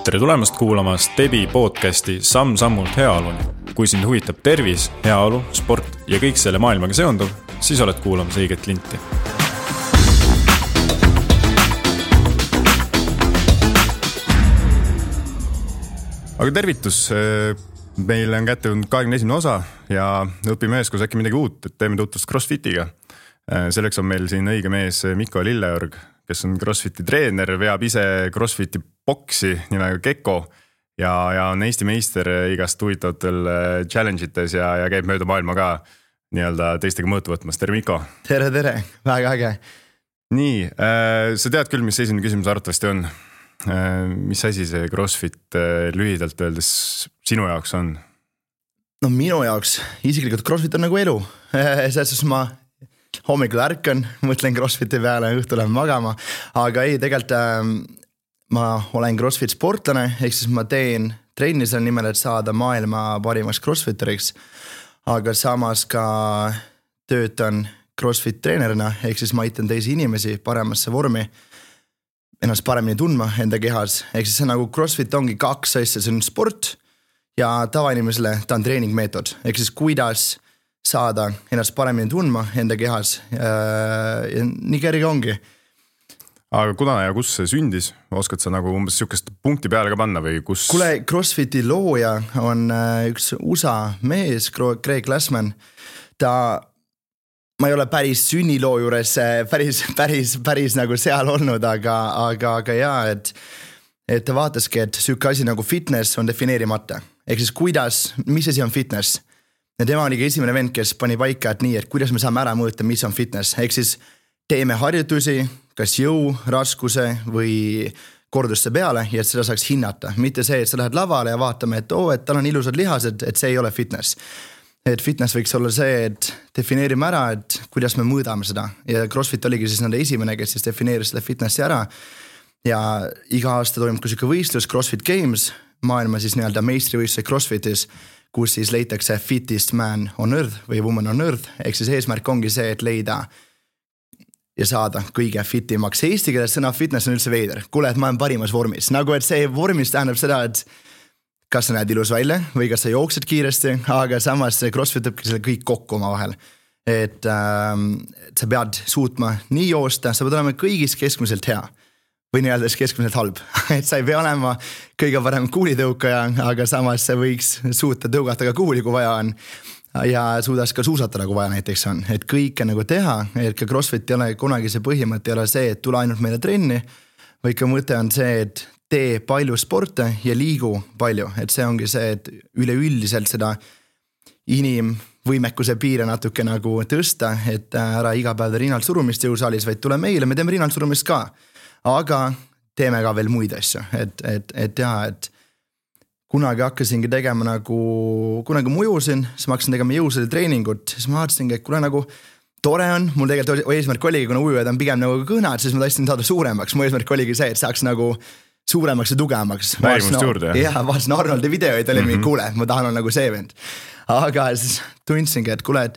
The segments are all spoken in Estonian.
Tere tulemast kuulama Stebi podcasti Samm-sammult heaoluni. Kui sind huvitab tervis, heaolu, sport ja kõik selle maailmaga seonduv, siis oled kuulamas õiget linti. Aga tervitus, meil on kätte 21. osa ja õpime üheskoos äkki midagi uut, et teeme tutvust CrossFitiga. Selleks on meil siin õige mees Mikko Lilleorg, kes on CrossFiti treener, veab ise CrossFiti boksi nimega Gekko ja on Eesti meister igast huvitavatel challenge'ites ja käib mööda maailma ka nii-öelda teistega mõõtu võtmas. Tere Mikko! Tere, väga äge! Nii, sa tead küll, mis esimene küsimus arvatavasti on. Mis asi see CrossFit lühidalt öeldes sinu jaoks on? No minu jaoks isiklikult CrossFit on nagu elu. Selles ma hommikul ärkan, mõtlen CrossFiti peale, õhtul lähen magama, aga ei, tegelikult ma olen CrossFit sportlane, ehk siis ma teen trenni selle nimel, et saada maailma parimaks CrossFiteriks, aga samas ka töötan CrossFit treenerina, ehk siis ma aitan teisi inimesi paremasse vormi, ennast paremini tundma enda kehas, ehk siis see nagu CrossFit ongi kaks asja, see on sport ja tavainimesele ta on treeningmeetod, ehk siis kuidas saada ennast paremini tundma enda kehas ja nii kerge ongi. Aga kuna ja kus see sündis? Oskad sa nagu umbes sihukest punkti peale ka panna või kus? Kuule, CrossFiti looja on üks USA mees, Greg Glassman. Ma ei ole päris sünniloo juures päris nagu seal olnud, aga jaa, et ta vaataski, et sihukene asi nagu fitness on defineerimata. Ehk siis mis asi on fitness? Ja tema oligi esimene vend, kes pani paika, et nii, et kuidas me saame ära mõõta, mis on fitness. Ehk siis teeme harjutusi, kas jõu, raskuse või korduste peale ja et seda saaks hinnata. Mitte see, et sa lähed lavale ja vaatame, et tal on ilusad lihased, et see ei ole fitness. Et fitness võiks olla see, et defineerime ära, et kuidas me mõõdame seda. Ja CrossFit oligi siis nende esimene, kes siis defineeris seda fitnessi ära. Ja iga aasta toimub ka siuke võistlus CrossFit Games, maailma siis nii-öelda meistrivõistluse CrossFitis, kus siis leitakse fittest man on earth või woman on earth, ehk siis eesmärk ongi see, et leida ja saada kõige fitimaks. Eesti keeles sõna fitness on üldse veider. Kuule, et ma olen parimas vormis. Nagu et see vormis tähendab seda, et kas sa näed ilus välja või kas sa jooksed kiiresti, aga samas see CrossFit õpki selle kõik kokku oma vahel. Et sa pead suutma nii joosta, sa pead olema kõigis keskmiselt hea või nii-öelda keskmiselt halb. Et sa ei pea olema kõige parem kuulitõukaja, aga samas sa võiks suuta tõugata ka kuuli, kui vaja on. Ja suudas ka suusatada, kui vaja näiteks on. Et kõike nagu teha, et ka CrossFit ei ole kunagi see põhimõte, ei ole see, et tule ainult meile trenni, või ka mõte on see, et tee palju sporte ja liigu palju. Et see ongi see, et üleüldiselt seda inimvõimekuse piire natuke nagu tõsta, et ära iga päev rinnalt surumist jõusaalis, vaid tule meile, me teeme rinnalt surumist ka. Aga teeme ka veel muid asju, et kunagi hakkasingi tegema nagu, kunagi mujusin, siis ma hakkasin tegema jõusade treeningut, siis ma vaatasingi, et kuna nagu tore on, mul tegelikult eesmärk oligi, kuna ujujad on pigem nagu kõnad, siis ma tahtsin saada suuremaks, mu eesmärk oligi see, et saaks nagu suuremaks ja tugevamaks. Värimust juurde, jah? Jah, vaatasin Arnoldi videoid, oli mingi kuule, ma tahan olla nagu see vend. Aga siis tundsingi, et kuule, et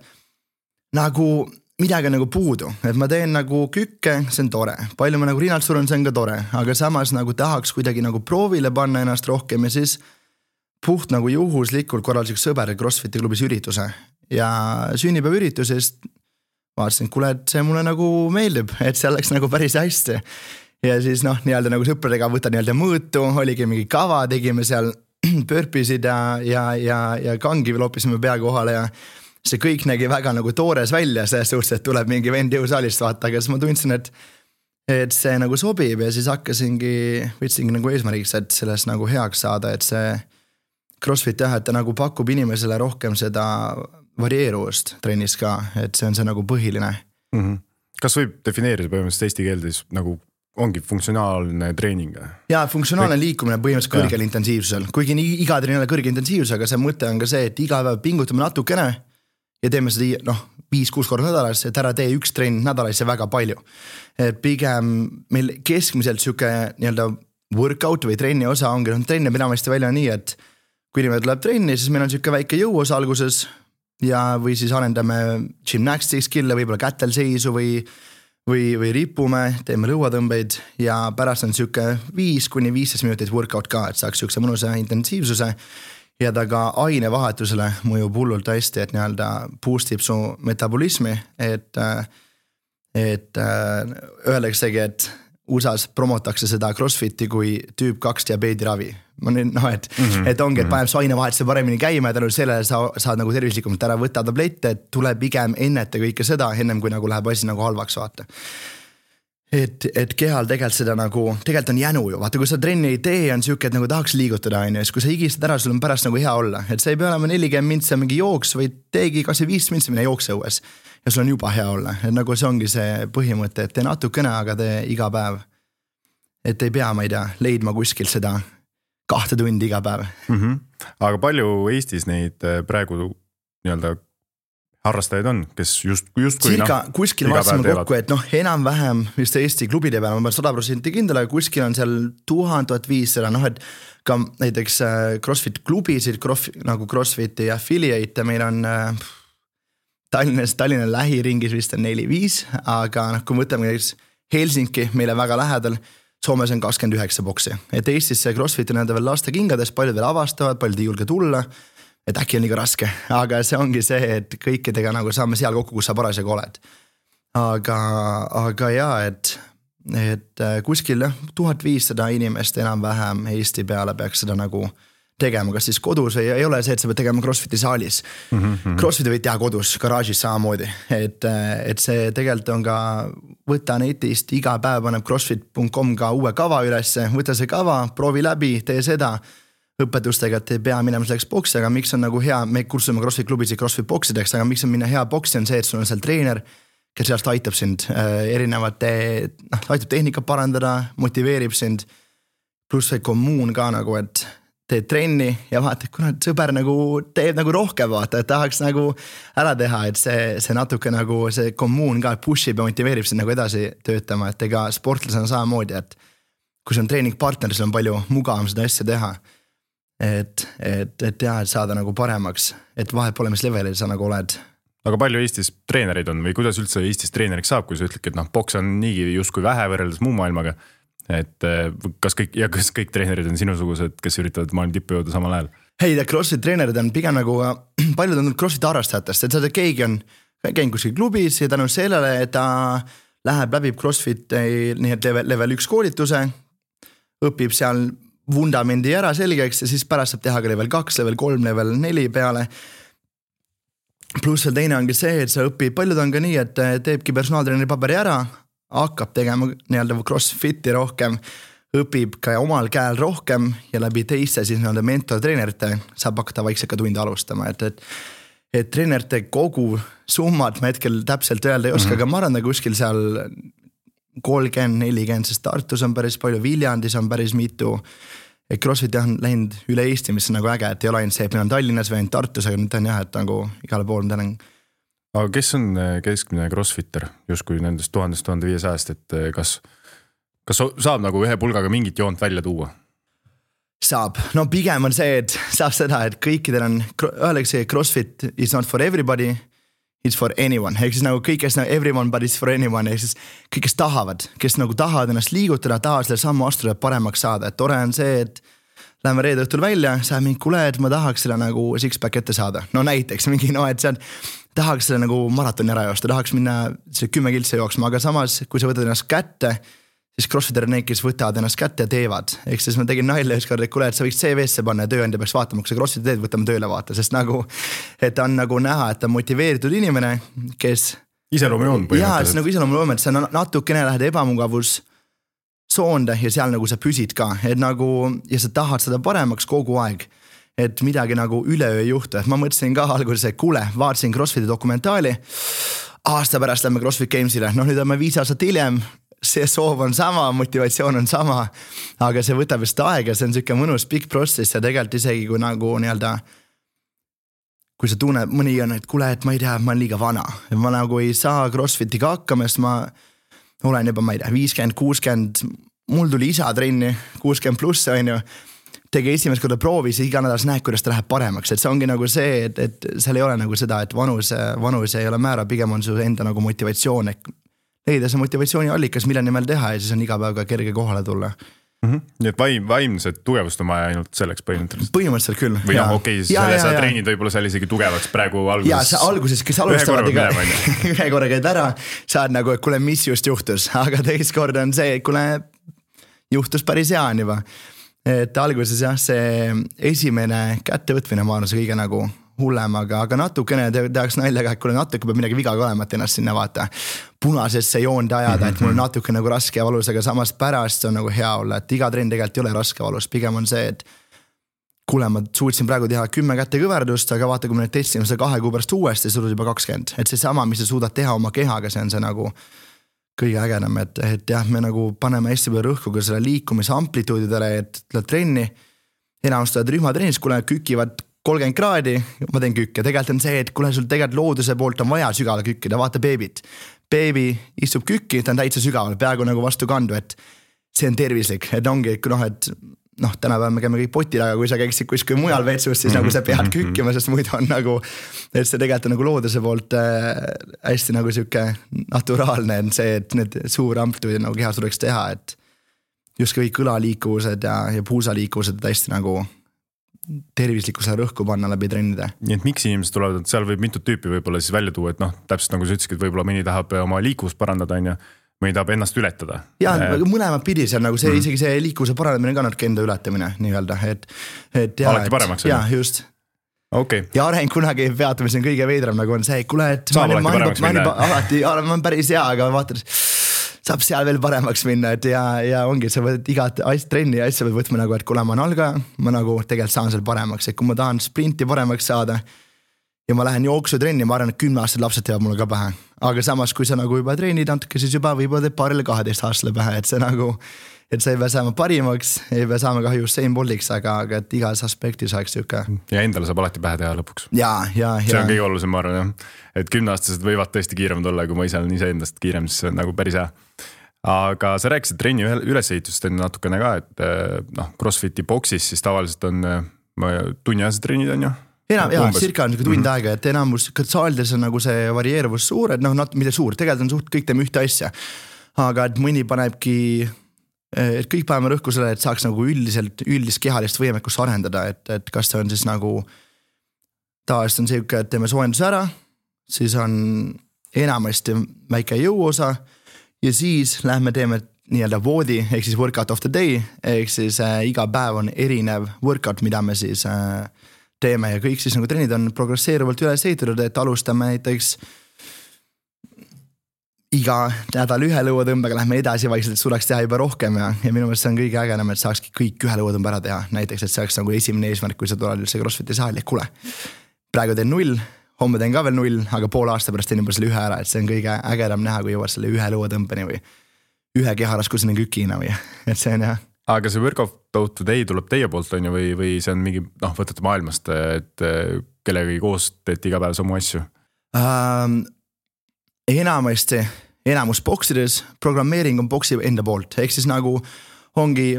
nagu midagi on nagu puudu, et ma teen nagu kükke, see on tore. Palju ma nagu rinnalt surun, see on ka tore, aga samas nagu tahaks kuidagi nagu proovile panna ennast rohkem ja siis puht nagu juhuslikult korraldaseks sõber CrossFiti klubis ürituse ja sünnipäev üritusest vaatasin, kuule, et see mulle nagu meeldib, et see oleks nagu päris hästi. Ja siis nii-öelda nagu sõpradega võtta nii-öelda mõõtu, oligi mingi kava, tegime seal pörpisid ja kangi loopisime pea kohale ja see kõik nägi väga nagu toores välja, selles suhtes, et tuleb mingi vend jõusaalist vaata, aga siis ma tundsin, et see nagu sobib ja siis võtsingi nagu eesmärgiks, et sellest nagu heaks saada, et see CrossFit jah, et ta nagu pakub inimesele rohkem seda varieeruvust trennis ka, et see on see nagu põhiline. Kas võib defineerida põhimõtteliselt eesti keeldes nagu ongi funktsionaalne treening? Jaa, funktsionaalne liikumine põhimõtteliselt kõrgel intensiivsusel, kuigi iga treenile kõrge intensiivsus, aga see mõte on ka see, et iga päev pingutame natukene ja teeme seda 5-6 korda nädalas, et ära tee üks trenn nädalas ja väga palju. Et pigem meil keskmiselt siuke nii-öelda workout või trenni osa ongi, trenni enamasti välja nii, et kui inimene tuleb trenni, siis meil on siuke väike jõuosa alguses ja või siis arendame gymnastics skill'e, võib-olla kätel seisu või või ripume, teeme lõuatõmbeid ja pärast on siuke 5-15 minutit workout ka, et saaks siukse mõnusa intensiivsuse ja ta ka ainevahetusele mõjub hullult hästi, et nii-öelda boostib su metabolismi, et öeldaksegi, et USA-s promotakse seda CrossFiti kui tüüp 2 diabeediravi. Et ongi, et paneb su ainevahetuse paremini käima ja tänu sellele saad nagu tervislikumalt ära võtta tablette, et tuleb pigem enneta kõike seda, ennem kui nagu läheb asi nagu halvaks vaata. Et kehal tegelikult seda nagu, tegelikult on jänu ju, vaata kui sa trenni ei tee, on siuke, et nagu tahaks liigutada, ja siis kui sa higistad ära, sul on pärast nagu hea olla, et sa ei pea olema 40 mintsa mingi jooks või teegi kas või 5 mintsa minna jooksõues ja sul on juba hea olla, et nagu see ongi see põhimõte, et tee natukene, aga tee iga päev. Et ei pea, ma ei tea, leidma kuskil seda 2 tundi iga päev. Aga palju Eestis neid praegu nii-öelda harrastajaid on, kes justkui kuskil vaatasime kokku, et enam-vähem just Eesti klubide peal, ma pean 100% kindel, aga kuskil on seal 1000-1500, et ka näiteks CrossFit klubisid, nagu CrossFiti affiliate, meil on Tallinna lähiringis vist on 4-5, aga kui mõtleme Helsinki, meile väga lähedal, Soomes on 29 boksi, et Eestis see CrossFit on veel laste kingades, paljud veel avastavad, paljud ei julge tulla, et äkki on liiga raske, aga see ongi see, et kõikidega nagu saame seal kokku, kus sa parasjagu oled. Aga jaa, et kuskil 1500 inimest enam-vähem Eesti peale peaks seda nagu tegema, kas siis kodus või ei ole see, et sa pead tegema CrossFiti saalis. CrossFiti võid teha kodus, garaažis samamoodi, et see tegelikult on ka võta netist, iga päev paneb crossfit.com ka uue kava ülesse, võta see kava, proovi läbi, tee seda õpetustega, et ei pea minema selleks boksi, aga miks on nagu hea, me kursume CrossFit klubisid CrossFit boksideks, aga miks on minna hea boksi on see, et sul on seal treener, kes sellest aitab sind aitab tehnika parandada, motiveerib sind, pluss see kommuun ka nagu, et teed trenni ja vaata, et kuna sõber nagu teeb nagu rohkem vaata, et tahaks nagu ära teha, et see natuke nagu see kommuun ka pushib ja motiveerib sind nagu edasi töötama, et ega sportlasena samamoodi, et kui see on treeningpartner, siis on palju mugavam seda asja teha, et saada nagu paremaks, et vahet pole, mis levelil sa nagu oled. Aga palju Eestis treenereid on või kuidas üldse Eestis treeneriks saab, kui sa ütled, et boks on niigi justkui vähe võrreldes muu maailmaga, et kas kõik treenerid on sinusugused, kes üritavad maailma tippu jõuda samal ajal? Hei, CrossFit treenerid on pigem nagu, paljud on CrossFit harrastajatest, et seda keegi on käinud kuskil klubis ja tänu sellele, et ta läbib CrossFit nii et level 1 koolituse, õpib seal vundamendi ära selgeks ja siis pärast saab teha ka level 2, level 3, level 4 peale. Pluss veel teine ongi see, et sa õpib, paljud on ka nii, et teebki personaaltreeneri paberi ära, hakkab tegema nii-öelda CrossFiti rohkem, õpib ka omal käel rohkem ja läbi teiste siis nii-öelda mentortreenerite saab hakata vaikselt ka tunde alustama, et treenerite kogu summad ma hetkel täpselt öelda ei oska, aga ma arvan, kuskil seal 30-40, sest Tartus on päris palju, Viljandis on päris mitu, et CrossFit on läinud üle Eesti, mis on nagu äge, et ei ole ainult see, et meil on Tallinnas või ainult Tartus, aga nüüd on jah, et nagu igale pool ma tänan. Aga kes on keskmine CrossFitter justkui nendest 1000-1500, et kas saab nagu ühe pulgaga mingit joont välja tuua? Saab, no pigem on see, et saab seda, et kõikidel on, öeldakse, CrossFit is not for everybody, it's for anyone, ehk siis nagu kõik, kes nagu everyone but it's for anyone, ehk siis kõik, kes tahavad ennast liigutada, tahavad selle sammu astuda paremaks saada, et tore on see, et läheme reede õhtul välja, sa mingi kuule, et ma tahaks selle nagu six-pack ette saada, no näiteks mingi, et see on tahaks selle nagu maratoni ära joosta, tahaks minna selle 10 kiltse jooksma, aga samas, kui sa võtad ennast kätte, siis CrossFitter on need, kes võtavad ennast kätte ja teevad. Ehk siis ma tegin nalja ükskord, et kuule, et sa võiks CV-sse panna ja tööandja peaks vaatama, kui sa CrossFitti teed, võtame tööle vaata, sest nagu, et on nagu näha, et on motiveeritud inimene, kes iseloomujoon põhimõtteliselt. Jaa, see nagu iseloomujoon, et sa natukene lähed ebamugavus soonde ja seal nagu sa püsid ka, et nagu, ja sa tahad seda paremaks kogu aeg. Et midagi nagu üleöö ei juhtu, et ma mõtlesin ka alguses, et kuule, vaatasin CrossFiti dokumentaali, aasta pärast lähme CrossFit Gamesile, nüüd oleme 5 aastat hiljem, see soov on sama, motivatsioon on sama, aga see võtab vist aega, see on siuke mõnus pikk protsess ja tegelikult isegi kui nagu nii-öelda, kui sa tunned, mõni on, et kuule, et ma ei tea, ma olen liiga vana, ma nagu ei saa CrossFitiga hakkama, sest ma olen juba, ma ei tea, 50-60, mul tuli isa trenni, 60 pluss on ju, tegi esimest korda proovis ja iga nädalas näed, kuidas ta läheb paremaks, et see ongi nagu see, et seal ei ole nagu seda, et vanus ei ole määra, pigem on su enda nagu motivatsioon, et leida see motivatsiooniallikas, mille nimel teha ja siis on iga päev ka kerge kohale tulla. Nii et vaimset tugevust on vaja ainult selleks põhimõtteliselt küll. Või okei, sa treenid võib-olla seal isegi tugevaks praegu alguses. Ja sa alguses, kes alustavad ühe korra käid ära, saad nagu, et kuule, mis just juhtus, aga teist kord on see, et kuule, juhtus päris hea on juba. Et alguses jah, see esimene kättevõtmine ma arvan, see kõige nagu hullem, aga natukene tehaks naljaga, et kuule natuke peab midagi viga olema, et ennast sinna vaata punasesse joonde ajada, et mul on natuke nagu raske ja valus, aga samas pärast on nagu hea olla, et iga trenn tegelikult ei ole raske valus, pigem on see, et kuule, ma suutsin praegu teha 10 kätekõverdust, aga vaata, kui me nüüd testsime seda 2 kuu pärast uuesti, siis juba 20, et see sama, mis sa suudad teha oma kehaga, see on see nagu kõige ägedam, et jah, me nagu paneme hästi palju rõhku ka selle liikumise amplituudidele, et tuleb trenni, enamustavad rühmatreenis, kuule kükivad 30 kraadi, ma teen kükke, tegelikult on see, et kuule sul tegelikult looduse poolt on vaja sügavale kükkida, vaata beebit. Beebi istub kükki, ta on täitsa sügaval, peaaegu nagu vastu kandu, et see on tervislik, et ongi, et tänapäeval me käime kõik potil, aga kui sa käiksid kuskil mujal vetsus, siis nagu sa pead kükkima, sest muidu on nagu, et see tegelikult on nagu looduse poolt hästi nagu siuke naturaalne on see, et need suur amplituudid nagu kehas tuleks teha, et just kõik kõlaliikuvused ja puusaliikuvused hästi nagu tervislikkusele rõhku panna läbi trennide. Nii et miks inimesed tulevad, et seal võib mitut tüüpi võib-olla siis välja tuua, et täpselt nagu sa ütlesid, et võib-olla mõni tahab oma liikuvust parandada, mõni tahab ennast ületada. Ja mõlemad pidi seal nagu see, isegi see liikuvuse paranemine ka natuke enda ületamine nii-öelda, et alati paremaks. Ja just. Okay. Ja areng kunagi peatumise on kõige veidram, nagu on see, kuule, et ma olen päris hea, aga vaatad, saab seal veel paremaks minna, et ja ongi, sa võid igat trenni ja asja pead võtma nagu, et kuule, ma olen algaja, ma nagu tegelikult saan seal paremaks, et kui ma tahan sprinti paremaks saada ja ma lähen jooksutrenni, ma arvan, et 10-aastased lapsed teevad mulle ka pähe. Aga samas, kui sa nagu juba treenid natuke, siis juba võib-olla teeb paarile 12-aastasele pähe, et see nagu, et sa ei pea saama parimaks, ei pea saama kahju Usain Boltiks, aga et igas aspektis oleks siuke. Ja endale saab alati pähe teha lõpuks. Ja. See on kõige olulisem, ma arvan, jah. Et 10-aastased võivad tõesti kiiremad olla, kui ma ise olen ise endast kiirem, siis see on nagu päris hea. Aga sa rääkisid trenni ülesehitust natukene ka, et CrossFiti boksis siis tavaliselt on tunniajased trennid on ju? Cirka on tund aega, et enamus saalides on nagu see varieeruvus suur, et mitte suur, tegelikult on suht kõik teeme ühte asja. Aga et mõni panebki, et kõik paneme rõhku selle, et saaks nagu üldist kehalist võimekust arendada, et kas see on siis nagu tavaliselt on see, et teeme soojenduse ära, siis on enamasti väike jõuosa ja siis lähme teeme nii-öelda voodi, ehk siis workout of the day, ehk siis iga päev on erinev workout, mida me siis teeme ja kõik siis nagu trennid on progresseeruvalt üles ehitatud, et alustame näiteks iga nädal ühe lõuatõmbega, lähme edasi vaikselt, et suleks teha juba rohkem ja minu meelest see on kõige ägenam, et saakski kõik ühe lõuatõmba ära teha, näiteks, et see oleks nagu esimene eesmärk, kui sa tuled üldse CrossFiti saali, kuule, praegu teen 0, homme teen ka veel 0, aga pool aasta pärast teen juba selle ühe ära, et see on kõige ägedam näha, kui jõuad selle ühe lõuatõmbeni või ühe keharaskuseni kükina või, et see on jah. Aga see workout of the day tuleb teie poolt on ju või see on mingi, võtate maailmast, et kellegagi koos teete iga päev samu asju? Enamus boksides programmeering on boksi enda poolt, ehk siis nagu ongi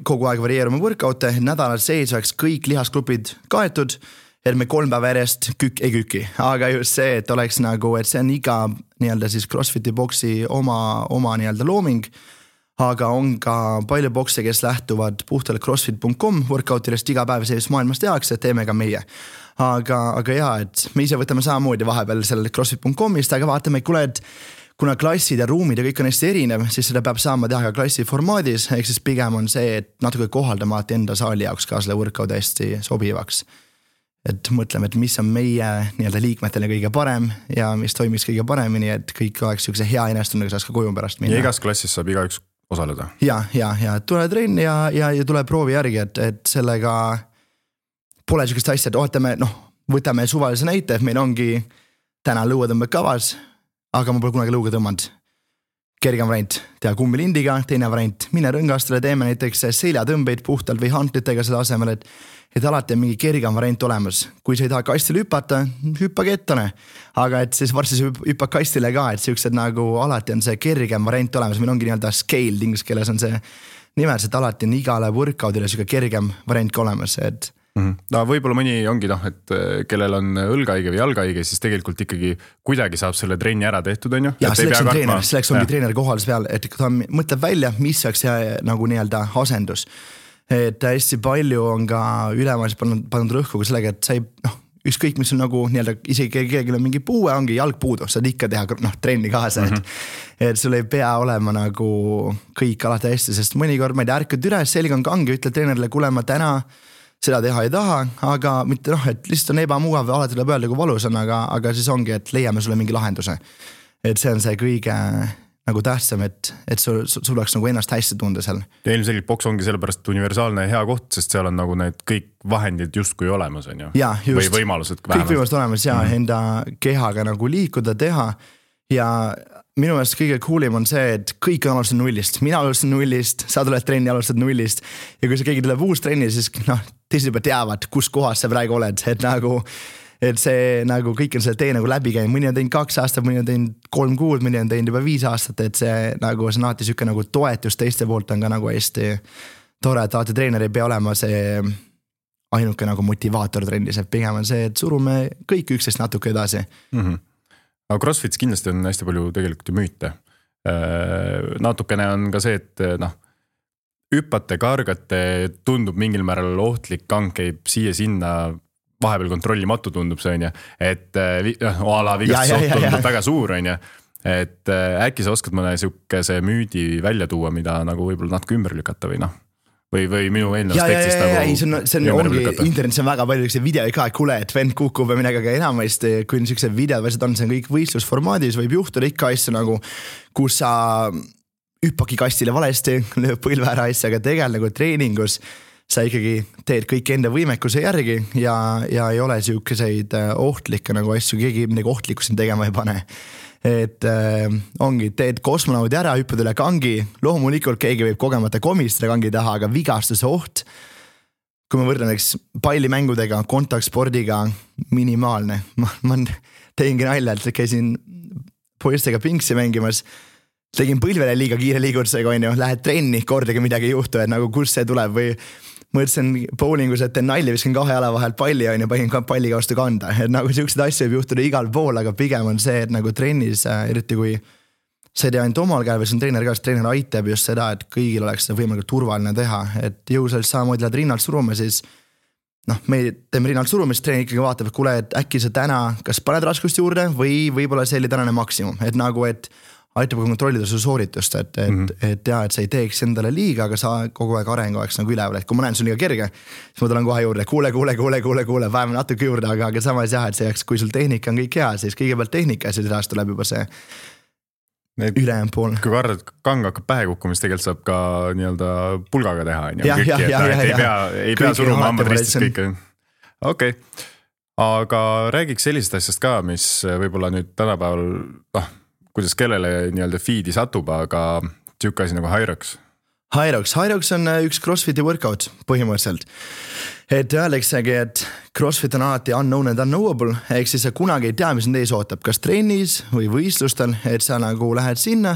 kogu aeg varieeruma workout'e, nädalal sees oleks kõik lihasgrupid kaetud, et me 3 päeva järjest ei küki, aga just see, et oleks nagu, et see on iga nii-öelda siis CrossFiti boksi oma nii-öelda looming, aga on ka palju bokse, kes lähtuvad puhtalt crossfit.com workoutilest iga päev selles maailmas tehakse, teeme ka meie. Aga jaa, et me ise võtame samamoodi vahepeal selle crossfit.comist, aga vaatame, et kuna klassid ja ruumid ja kõik on hästi erinev, siis seda peab saama teha ka klassi formaadis, ehk siis pigem on see, et natuke kohaldama enda saali jaoks ka selle workout hästi sobivaks. Et mõtleme, et mis on meie nii-öelda liikmetele kõige parem ja mis toimiks kõige paremini, et kõik oleks üks hea enestunega saaks ka koju pärast minna. Ja igas klassis saab igaüks osaleda? Ja, tule trenn ja tule proovi järgi, et sellega pole sellist asja, et võtame suvalise näite, et meil ongi täna lõuatõmbed kavas, aga ma pole kunagi lõuga tõmmanud. Kergem variant, teha kummilindiga, teine variant, mine rõngastele, teeme näiteks seljatõmbeid puhtalt või hantlitega selle asemel, et alati on mingi kergem variant olemas. Kui sa ei taha kastile hüpata, hüppage ettane. Aga et siis varsti sa hüppad kastile ka, et siuksed nagu alati on see kergem variant olemas. Meil ongi nii-öelda scale inglise keeles on see nimelt, et alati on igale workoutile siuke kergem variant ka olemas, et No võib-olla mõni ongi et kellel on õlgahaige või jalgahaige, siis tegelikult ikkagi kuidagi saab selle trenni ära tehtud, on ju? Ja selleks ongi treener kohal peal, et ta mõtleb välja, mis oleks nagu nii-öelda asendus. Et hästi palju on ka ülemaailmas pannud rõhku sellega, et sa ei, ükskõik mis on nagu nii-öelda, isegi kellelgi on mingi puue, ongi jalg puudu, saad ikka teha trenni kaasa, et sul ei pea olema nagu kõik alati hästi, sest mõnikord ma ei tea, ärkad üles, selg on kange, ütle treenerile, kuule ma täna seda teha ei taha, aga mitte et lihtsalt on ebamugav, alati tuleb öelda, kui valus on, aga siis ongi, et leiame sulle mingi lahenduse. Et see on see kõige nagu tähtsam, et sul oleks nagu ennast hästi tunda seal. Ja ilmselgelt boks ongi sellepärast universaalne hea koht, sest seal on nagu need kõik vahendid justkui olemas, on ju? Ja, just. Või võimalused vähemalt. Kõik võimalused olemas ja enda kehaga nagu liikuda, teha ja minu meelest kõige coolim on see, et kõik on alustada nullist. Mina alustan nullist, sa tuled trenni, alustad nullist ja kui see keegi tuleb uus trenni, siis teised juba teavad, kus kohas sa praegu oled, et see nagu kõik on selle tee nagu läbi käinud, mõni on teinud 2 aastat, mõni on teinud 3 kuud, mõni on teinud juba 5 aastat, et see nagu see on alati siuke nagu toetus teiste poolt on ka nagu hästi tore, et alati treener ei pea olema see ainuke nagu motivaator trennis, et pigem on see, et surume kõik üksteist natuke edasi. Aga CrossFitis kindlasti on hästi palju tegelikult ju müüte. Natukene on ka see, et hüppate, kargate, tundub mingil määral ohtlik, kang käib siia-sinna, vahepeal kontrollimatu tundub see, on ju, et ala vigastus tundub väga suur, on ju, et äkki sa oskad mõne siukese müüdi välja tuua, mida nagu võib-olla natuke ümber lükata või või minu eelnevast tekstist nagu see ongi, internetis on väga palju videoid ka, et kuule, et vend kukub või midagi, aga enamasti, kui on siuksed videod, see on kõik võistlusformaadis, võib juhtuda ikka asju nagu, kus sa hüppaki kastile valesti, lööb põlve ära asja, aga tegelikult nagu treeningus sa ikkagi teed kõik enda võimekuse järgi ja ei ole siukeseid ohtlikke nagu asju, keegi midagi ohtlikku siin tegema ei pane. Et ongi, teed kosmonaudi ära, hüppad üle kangi, loomulikult keegi võib kogemata komistada kangi taha, aga vigastuse oht, kui ma võrdlen pallimängudega, kontaktspordiga, minimaalne. Ma tegingi nalja, et käisin poistega pingsi mängimas, tegin põlvele liiga kiire liigutusega, lähed trenni, kordagi midagi ei juhtu, et nagu kus see tuleb või mõtlesin bowlingus, et teen nalja, viskan 2 jala vahel palli panin palliga vastu kanda, et nagu siuksed asju võib juhtuda igal pool, aga pigem on see, et nagu trennis, eriti kui sa ei tea ainult omal käel või see on treener ka, siis treener aitab just seda, et kõigil oleks seda võimalikult turvaline teha, et jõusalist samamoodi lähed rinnalt surume, siis me teeme rinnalt surumist, treener ikkagi vaatab, et kuule, et äkki sa täna kas paned raskust juurde või võib-olla see oli tänane maksimum, et nagu, et aitab kontrollida su sooritust, et sa ei teeks endale liiga, aga sa kogu aeg areng oleks nagu üleval, et kui ma näen sul liiga kerge, siis ma tulen kohe juurde, kuule, vähem natuke juurde, aga samas jah, et see jääks, kui sul tehnika on kõik hea, siis kõigepealt tehnika ja siis edasi tuleb juba see ülejäänud pool. Kui kang hakkab pähe kukkumist, tegelikult saab ka nii-öelda pulgaga teha, ei pea suruma hambad ristis kõike. Okei. Aga räägiks sellisest asjast ka, mis võib-olla nüüd tänapäeval kuidas kellele nii-öelda feed'i satub, aga siuke asi nagu Hyrox on üks CrossFiti workout põhimõtteliselt. Et öeldaksegi, et CrossFit on alati unknown and unknowable, ehk siis sa kunagi ei tea, mis on ees ootab, kas trennis või võistlustel, et sa nagu lähed sinna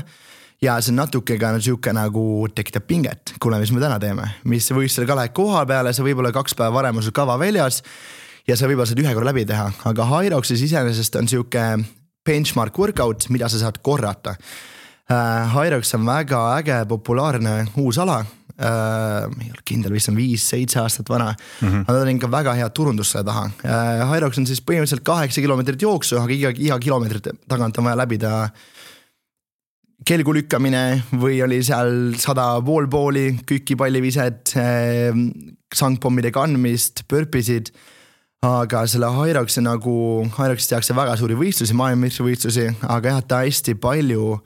ja see natuke ka siuke nagu tekitab pinget, kuule, mis me täna teeme, mis võistlusel ka lähed koha peale, sa võib-olla 2 päeva varem on sul kava väljas ja sa võib-olla saad 1 korra läbi teha, aga Hyroxis iseenesest on siuke benchmark workout, mida sa saad korrata. Hyrox on väga äge, populaarne uus ala. Ei ole kindel, vist on 5-7 aastat vana. Aga ta on ikka väga hea turundus selle taha. Hyrox on siis põhimõtteliselt 8 kilomeetrit jooksu, aga iga kilomeetrit tagant on vaja läbida kelgu lükkamine või oli seal 100 poolpooli, kükipallivised, sangpommide kandmist, pörpisid. Aga selle Hyroxi Hyroxis tehakse väga suuri võistlusi, maailmameistrivõistlusi, aga jah, ta hästi palju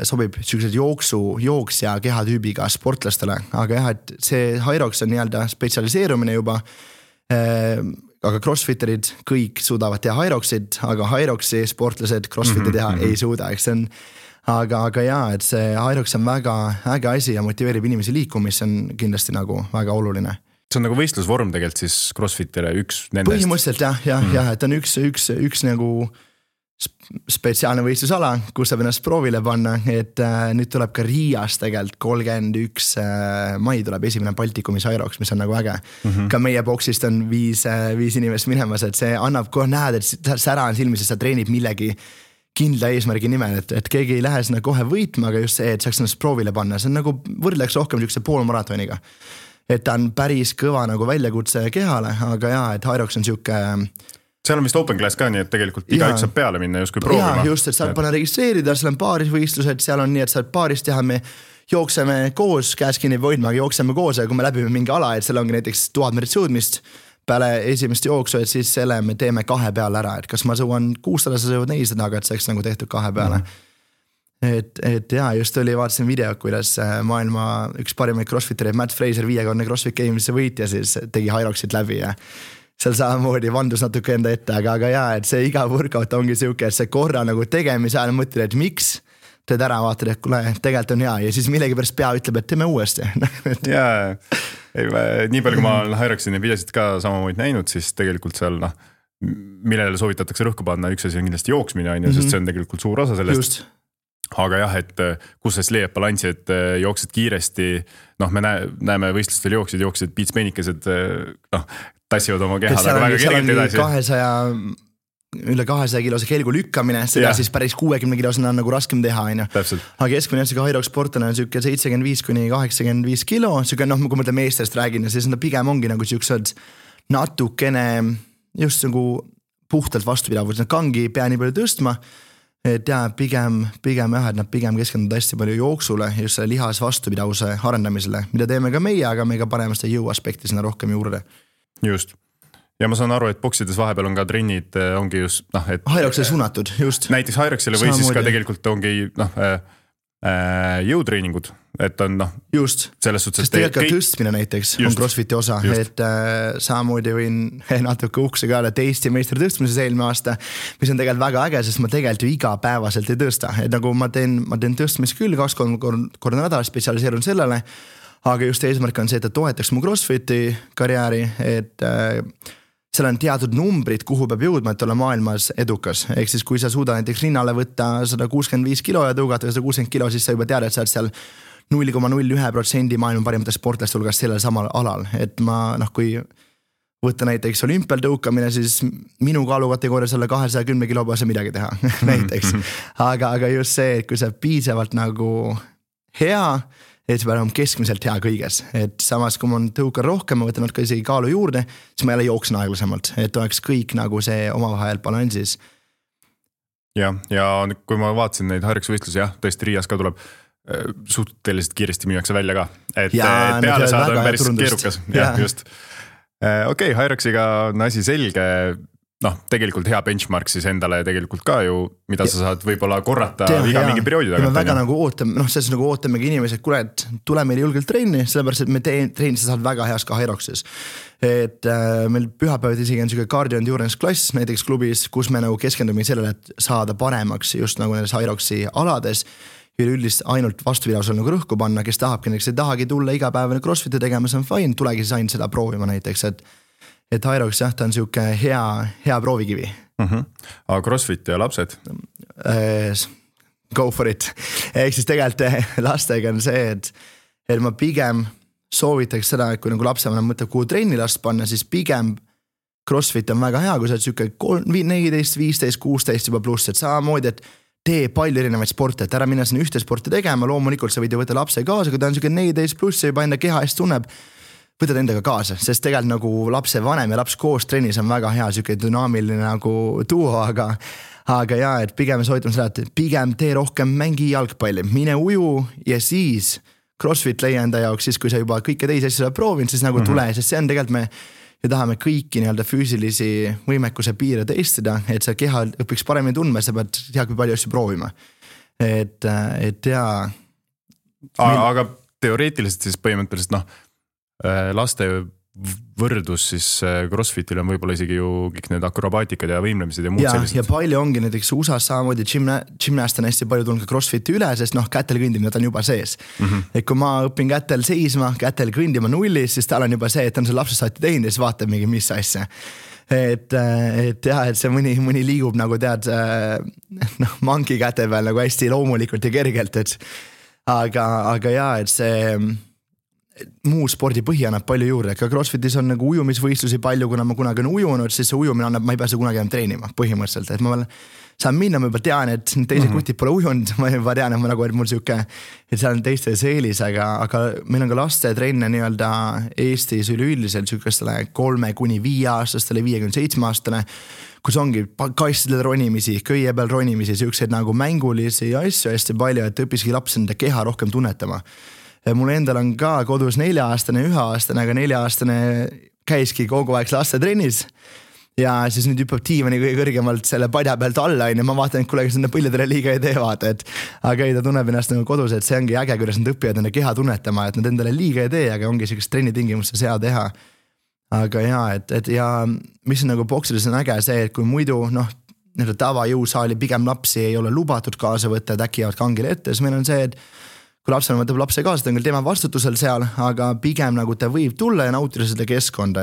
sobib sellised jooksja kehatüübiga sportlastele, aga jah, et see Hyrox on nii-öelda spetsialiseerumine juba, aga crossfitterid kõik suudavad teha Hyroxid, aga Hyroxi sportlased crossfitti teha ei suuda, eks see on, aga jah, et see Hyrox on väga äge asi ja motiveerib inimesi liikuma, mis on kindlasti nagu väga oluline. See on nagu võistlusvorm tegelikult siis CrossFitile üks nendest. Põhimõtteliselt jah, et on üks nagu spetsiaalne võistlusala, kus saab ennast proovile panna, et nüüd tuleb ka Riias tegelikult 31 mai tuleb esimene Baltikumis Hyrox, mis on nagu äge. Ka meie boksist on 5 inimest minemas, et see annab kohe näed, et sära on silmis, et sa treenid millegi kindla eesmärgi nimel, et keegi ei lähe sinna kohe võitma, aga just see, et saaks ennast proovile panna, see on nagu võrdleks rohkem niisuguse poolmaratoniga. Et ta on päris kõva nagu väljakutse kehale, aga jaa, et Hyrox on niisugune seal on vist open class ka, nii et tegelikult igaüks saab peale minna justkui proovima. Jaa, just, et saab panna registreerida, seal on paarisvõistlused, seal on nii, et saab paaris teha, me jookseme koos, käes kinni hoidma, aga jookseme koos ja kui me läbime mingi ala, et seal ongi näiteks 1000 meetrit sõudmist peale esimest jooksu, et siis selle me teeme 2 peale ära, et kas ma sõuan 600, sa sõuad 400, aga et see oleks nagu tehtud 2 peale. Et jaa, just oli, vaatasin video, kuidas maailma üks parimaid crossfittereid Matt Fraser 5-korne CrossFit Games'e võitja siis tegi Hyroxit läbi ja seal samamoodi vandus natuke enda ette, aga jaa, et see iga workout ongi siuke, et see korra nagu tegemise ajal mõtled, et miks teed ära, vaatad, et kuule, tegelikult on hea ja siis millegi pärast pea ütleb, et teeme uuesti. Jaa, nii palju kui ma olen Hyroxini videosid ka samamoodi näinud, siis tegelikult seal millele soovitatakse rõhku panna, üks asi on kindlasti jooksmine, sest see on tegelikult suur osa sellest. Just. Aga jah, et kus siis leiab balansi, et jooksed kiiresti, me näeme võistlustel jooksid piitspenikesed, tassivad oma kehad, aga väga kergelt edasi. Üle 200 kilose kelgu lükkamine, seda siis päris 60 kilosena on nagu raskem teha. Aga keskmine Hyrox sportana on siuke 75-85 kilo, siuke kui mõtle meestest räägin, siis nad pigem ongi nagu siuksed natukene just nagu puhtalt vastupidavus, nad kangi pea nii palju tõstma, et jaa, pigem jah, et nad pigem keskenduvad hästi palju jooksule, just selle lihas vastupidavuse arendamisele, mida teeme ka meie, aga me ka paneme seda jõuaspekti sinna rohkem juurde. Just. Ja ma saan aru, et boksides vahepeal on ka trennid, ongi just, et Hyroxile suunatud, just. Näiteks Hyroxile või siis ka tegelikult ongi, jõutreeningud, et on, just. Selles suhtes, sest tegelikult tõstmine näiteks just. On CrossFiti osa, just. Et samamoodi võin natuke ukse ka et Eesti meistri tõstmises eelmine aasta, mis on tegelikult väga äge, sest ma tegelikult ju igapäevaselt ei tõsta, et nagu ma teen tõstmis küll 2-3 korda nädalas, spetsialiseerun sellele, aga just eesmärk on see, et ta toetaks mu CrossFiti karjääri, et seal on teatud numbrid, kuhu peab jõudma, et olla maailmas edukas. Ehk siis kui sa suuda näiteks rinnale võtta 165 kilo ja tõugata 160 kilo, siis sa juba tead, et sa oled seal 0,01% maailma parimatest sportlast hulgas sellel samal alal. Et ma, kui võtta näiteks olümpial tõukamine, siis minu kaalukategooria selle 210 kilo peal midagi teha näiteks. Aga just see, et kui sa piisavalt nagu hea, et see peab olema keskmiselt hea kõiges, et samas kui ma tõukan rohkem, ma võtan natuke isegi kaalu juurde, siis ma jälle jooksen aeglasemalt, et oleks kõik nagu see omavahel balansis. Ja kui ma vaatasin neid Hyroxi võistlusi, jah, tõesti Riias ka tuleb suhteliselt kiiresti müüakse välja ka, et peale saada on päris keerukas. Just. Okei, Hyroxiga on asi selge, tegelikult hea benchmark siis endale tegelikult ka ju, mida sa saad võib-olla korrata iga mingi perioodi tagant. Me väga nagu ootame, selles nagu ootamegi inimesi, et kuule, et tule meile julgelt treeni, sellepärast, et me treeni sa saad väga heas ka Hyroxis. Et meil pühapäevad isegi on selline cardio endurance klass näiteks klubis, kus me nagu keskendume sellele, et saada paremaks just nagu nendes Hyroxi alades, üleüldist ainult vastupidavusel nagu rõhku panna, kes tahabki, näiteks ei tahagi tulla igapäevane CrossFiti tegema, see on fine, tulegi siis ainult seda proovima näiteks, et Hyrox jah, ta on siuke hea proovikivi. Aga CrossFit ja lapsed? Go for it. Ehk siis tegelikult lastega on see, et ma pigem soovitaks seda, et kui nagu lapsevanem mõtleb, kuhu trenni last panna, siis pigem CrossFit on väga hea, kui sa oled siuke 14, 15, 16 juba pluss, et samamoodi, et tee palju erinevaid sporte, et ära minna sinna ühte sporti tegema, loomulikult sa võid ju võtta lapse kaasa, kui ta on siuke 14 pluss ja juba enda keha eest tunneb, võtad endaga kaasa, sest tegelikult nagu lapse vanem ja laps koos trennis on väga hea siuke dünaamiline nagu duo, aga jaa, et pigem soovitame seda, et pigem tee rohkem mängi jalgpalli, mine uju ja siis CrossFit leia enda jaoks, siis kui sa juba kõike teisi asja proovinud, siis nagu tule, sest see on tegelikult me tahame kõiki nii-öelda füüsilisi võimekuse piire testida, et sa keha õpiks paremini tundma, sa pead tead kui palju asju proovima. Et jaa. Aga teoreetiliselt siis põhimõtteliselt laste võrdus siis CrossFitil on võib-olla isegi ju kõik need akrobaatikad ja võimlemised ja muud sellised. Ja palju ongi näiteks USA's samamoodi gymnast on hästi palju tulnud ka CrossFiti üle, sest kätel kõndimine on juba sees. Et kui ma õpin kätel seisma, kätel kõndima nullis, siis tal on juba see, et on see lapsest saati teinud ja siis vaatab mingi mis asja. et jah, et see mõni liigub nagu tead mangi käte peal nagu hästi loomulikult ja kergelt, et aga jaa, et see muu spordi põhi annab palju juurde, ka CrossFitis on nagu ujumisvõistlusi palju, kuna ma kunagi on ujunud, siis see ujumine annab, ma ei pea seda kunagi enam treenima põhimõtteliselt, et ma veel saan minna, ma juba tean, et teised kutid pole ujunud, ma juba tean, et et mul siuke, et seal on teiste seelis, aga meil on ka laste trenne nii-öelda Eestis üleüldiselt siukestele 3–5-aastastele, 57-aastane, kus ongi kastidel ronimisi, köie peal ronimisi, siukseid nagu mängulisi asju hästi palju, et õppiski laps enda keha rohkem tunnetama. Mul endal on ka kodus 4-aastane, 1-aastane, aga 4-aastane käiski kogu aeg laste trennis. Ja siis nüüd hüppab tiivani kõige kõrgemalt selle padja pealt alla, ja ma vaatan, et kuule, kes nende põllidele liiga ei tee, vaata, et aga ei, ta tunneb ennast nagu kodus, et see ongi äge, kuidas nad õppivad enda keha tunnetama, et nad endale liiga ei tee, aga ongi sellist trennitingimustes hea teha. Aga jaa, et ja mis on nagu boksides on äge see, et kui muidu tavajõusaali pigem lapsi ei ole lubatud kaasa võtta, et äkki jäävad kangile ette, siis meil on see, et kui lapsena võtab lapse kaasa, ta on küll tema vastutusel seal, aga pigem nagu ta võib tulla ja nautida seda keskkonda,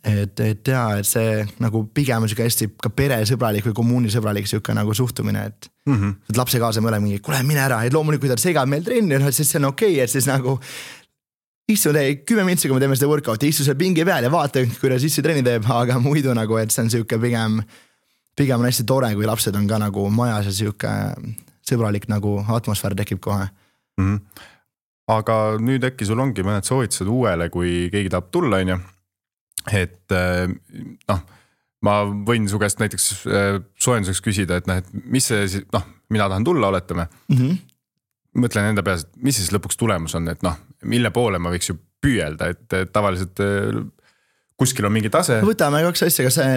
et jaa, et see nagu pigem on siuke hästi ka peresõbralik või kommuunisõbralik siuke nagu suhtumine, et lapse kaasa me oleme mingi, kuule mine ära, et loomulikult ta segab meil trenni, siis see on okei, et siis nagu istu 10 mintsi, kui me teeme seda workouti, istu seal pingi peal ja vaata, kuidas issi trenni teeb, aga muidu nagu, et see on siuke pigem on hästi tore, kui lapsed on ka nagu majas ja siuke sõbralik nagu atmosfäär tekib kohe. Aga nüüd äkki sul ongi mõned soovitused uuele, kui keegi tahab tulla, on ju. Et ma võin su käest näiteks soojenduseks küsida, et mis see, mina tahan tulla, oletame. Mõtlen enda peas, et mis siis lõpuks tulemus on, et mille poole ma võiks ju püüelda, et tavaliselt kuskil on mingi tase. Võtame 2 asja, kas see,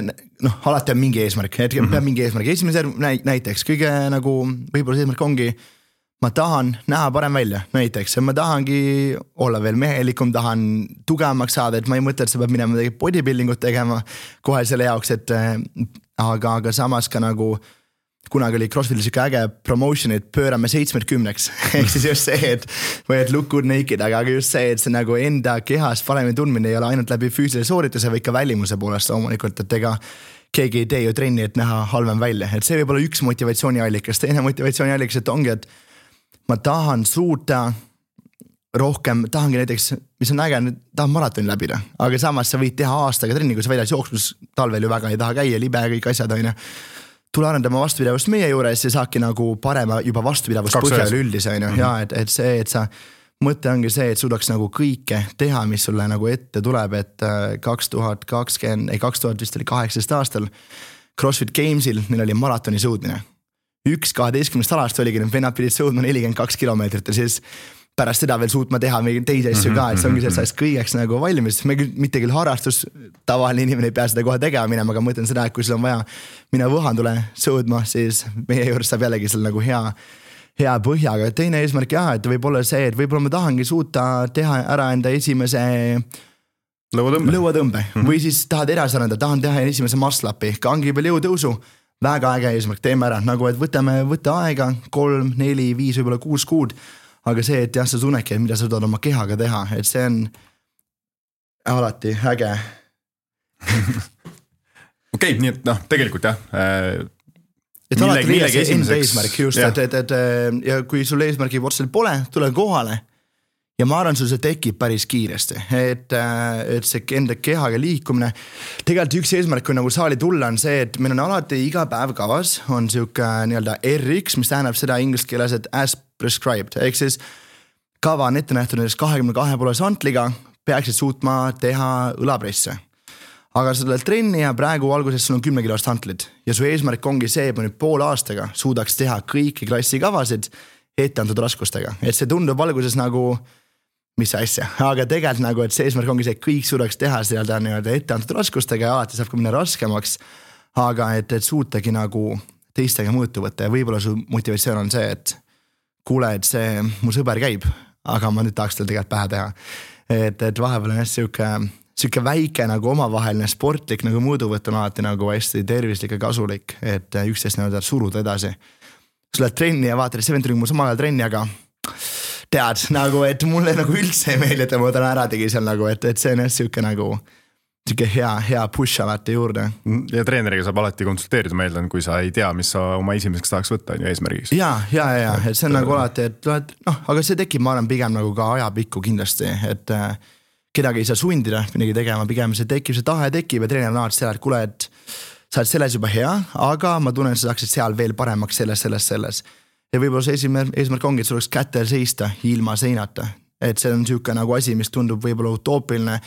alati on mingi eesmärk, peab mingi eesmärk. Esimese näiteks, kõige nagu võib-olla see eesmärk ongi, ma tahan näha parem välja, näiteks, ma tahangi olla veel mehelikum, tahan tugevamaks saada, et ma ei mõtle, et sa peab minema bodybuildingut tegema kohe selle jaoks, et aga samas ka nagu kunagi oli CrossFitis ikka äge promotion, et pöörame 70-10-ks, ehk siis just see, et look good naked, aga just see, et see nagu enda kehas paremini tundmine ei ole ainult läbi füüsilise soorituse või ikka välimuse poolest loomulikult, et ega keegi ei tee ju trenni, et näha halvem välja, et see võib olla üks motivatsiooniallikas, teine motivatsiooniallikas, et ongi, et ma tahan suuta rohkem, tahangi näiteks, mis on äge, tahan maratoni läbida, aga samas sa võid teha aastaga trenni, kui sa väljas jooksmus talvel ju väga ei taha käia, libe ja kõik asjad on ju. Tule arendama vastupidavust meie juures ja saabki nagu parema juba vastupidavust põhjal üldise on ju, ja et see, et sa mõte ongi see, et suudaks nagu kõike teha, mis sulle nagu ette tuleb, et 2018 aastal CrossFit Gamesil neil oli maratoni sõudmine. 12 alast oligi, need vennad pidid sõudma 42 kilomeetrit ja siis pärast seda veel suutma teha mingi teisi asju ka, et see ongi see kõigeks nagu valmis. Me mitte küll harrastus, tavaline inimene ei pea seda kohe tegema minema, aga mõtlen seda, et kui sul on vaja minna Võhandule sõudma, siis meie juures saab jällegi seal nagu hea põhjaga. Teine eesmärk jah, et võib olla see, et võib-olla ma tahangi suuta teha ära enda esimese lõuatõmbe. Või siis tahad edasi arendada, tahan teha esimese muscle-upi, kangi peal jõutõusu. Väga äge eesmärk, teeme ära, nagu et võta aega 3, 4, 5, võib-olla 6 kuud, aga see, et jah, sa tunnedki, et mida sa suudad oma kehaga teha, et see on alati äge. Okei, nii et tegelikult jah. Et alati millegi enda eesmärk just, et ja kui sul eesmärgi otseselt pole, tule kohale. Ja ma arvan, sul see tekib päris kiiresti, et see enda kehaga liikumine. Tegelikult üks eesmärk, kui nagu saali tulla, on see, et meil on alati iga päev kavas, on siuke nii-öelda RX, mis tähendab seda inglise keeles, et as prescribed. Ehk siis kava on ette nähtud 22 santliga, peaksid suutma teha õlapresse. Aga sa tuled trenni ja praegu alguses sul on 10 kilost santlid. Ja su eesmärk ongi see, et ma nüüd pool aastaga suudaks teha kõiki klassi kavasid ette antud raskustega. Et see tundub alguses nagu mis asja, aga tegelikult nagu, et see eesmärk ongi see, et kõik suudaks teha seda nii-öelda ette antud raskustega ja alati saab ka minna raskemaks, aga et suutagi nagu teistega mõõtu võtta ja võib-olla su motivatsioon on see, et kuule, et see mu sõber käib, aga ma nüüd tahaks tal tegelikult pähe teha. Et vahepeal on siuke väike nagu omavaheline sportlik nagu mõõduvõtt on alati nagu hästi tervislik ja kasulik, et üksteist nii-öelda suruda edasi. Sul oled trenni ja vaatad, et see vend tuli mul samal ajal trenni, aga tead, nagu, et mulle nagu üldse ei meeldi, et ma täna ära tegi seal nagu, et see on siuke nagu, siuke hea push alati juurde. Ja treeneriga saab alati konsulteerida, ma eeldan, kui sa ei tea, mis sa oma esimeseks tahaks võtta eesmärgiks. Ja, et see on nagu alati, et aga see tekib, ma arvan, pigem nagu ka ajapikku kindlasti, et kedagi ei saa sundida midagi tegema, pigem see tekib, see tahe tekib ja treener on alati seal, et kuule, et sa oled selles juba hea, aga ma tunnen, et sa saaksid seal veel paremaks selles. Ja võib-olla see eesmärk ongi, et sul oleks kätel seista ilma seinata. Et see on siuke nagu asi, mis tundub võib-olla utoopiline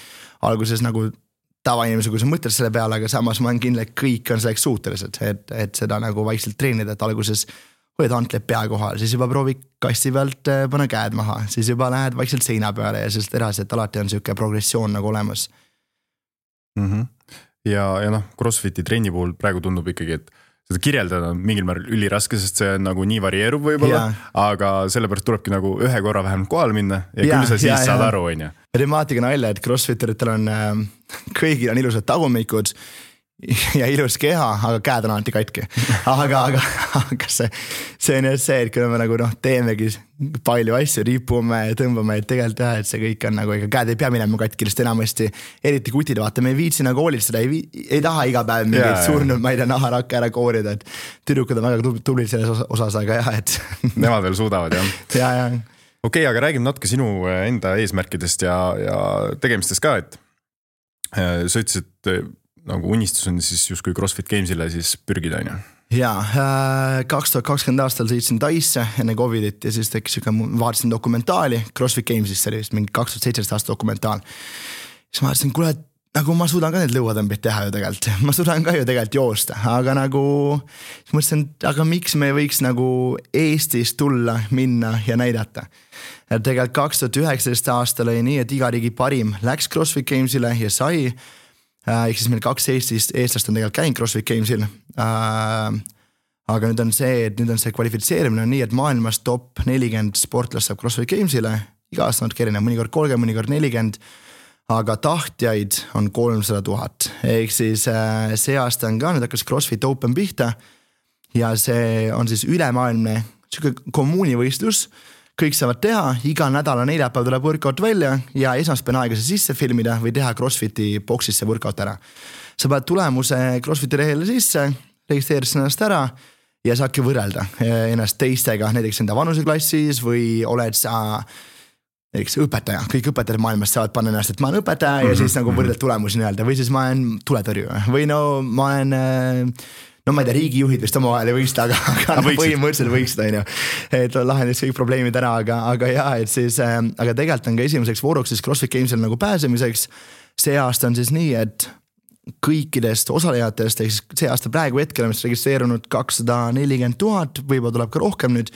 alguses nagu tavainimese, kui sa mõtled selle peale, aga samas ma olen kindel, et kõik on selleks suutelised, et seda nagu vaikselt treenida, et alguses hoid antled pea kohal, siis juba proovi kasti pealt pane käed maha, siis juba lähed vaikselt seina peale ja sellest edasi, et alati on siuke progressioon nagu olemas. Ja CrossFiti trenni puhul praegu tundub ikkagi, et seda kirjeldada on mingil määral üliraske, sest see on nagu nii varieeruv võib-olla, aga sellepärast tulebki nagu ühe korra vähemalt kohal minna ja küll sa siis saad aru, on ju. Temaatika nalja, et CrossFiteritel on, kõigil on ilusad tagumikud ja ilus keha, aga käed on alati katki. Aga see on just see, et kui me nagu teemegi palju asju, ripume ja tõmbame, et tegelikult et see kõik on nagu, ega käed ei pea minema katki, sest enamasti eriti kutid, vaata, me ei viitsi nagu hoolitseda, ei taha iga päev mingid surnud, ma ei tea, naharakke ära koorida, et tüdrukud on väga tublid selles osas, aga et nemad veel suudavad, jah. Ja. Okei, aga räägime natuke sinu enda eesmärkidest ja tegemistest ka, et sa ütlesid, et nagu unistus on siis justkui CrossFit Gamesile siis pürgida, on ju? Jaa, 2020 aastal sõitsin Taisse enne Covidit ja siis tekkis vaatasin dokumentaali CrossFit Gamesist, see oli vist mingi 2017 aasta dokumentaal. Siis ma vaatasin, kuule, nagu ma suudan ka need lõuatõmbid teha ju tegelikult, ma suudan ka ju tegelikult joosta, aga nagu siis mõtlesin, aga miks me võiks nagu Eestis tulla, minna ja näidata. Et tegelikult 2019 aastal oli nii, et iga riigi parim läks CrossFit Gamesile ja sai. Ehk siis meil 2 eestlast on tegelikult käinud CrossFit Gamesil. Aga nüüd on see kvalifitseerimine on nii, et maailmas top 40 sportlast saab CrossFit Gamesile. Iga aasta natuke erinev, mõnikord 30, mõnikord 40, aga tahtjaid on 300 000. Ehk siis see aasta on ka, nüüd hakkas CrossFit Open pihta ja see on siis ülemaailmne kommuunivõistlus. Kõik saavad teha, iga nädala neljapäev tuleb workout välja ja esmaspäev aega see sisse filmida või teha CrossFiti boxis see workout ära. Sa pead tulemuse CrossFiti lehele sisse, registreerid ennast ära ja saadki võrrelda ennast teistega, näiteks enda vanuseklassis või oled sa näiteks õpetaja. Kõik õpetajad maailmas saavad panna ennast, et ma olen õpetaja ja siis nagu võrdled tulemusi nii-öelda või siis ma olen tuletõrju või ma olen ma ei tea, riigijuhid vist oma vahel ei võista, aga põhimõtteliselt võiksid, on ju. Et lahendis kõik probleemid ära, aga jah, et siis, aga tegelikult on ka esimeseks vooruks siis CrossFit Gamesel nagu pääsemiseks. See aasta on siis nii, et kõikidest osalejatest, ehk siis see aasta praegu hetkel on registreerunud 240 000, võib-olla tuleb ka rohkem nüüd,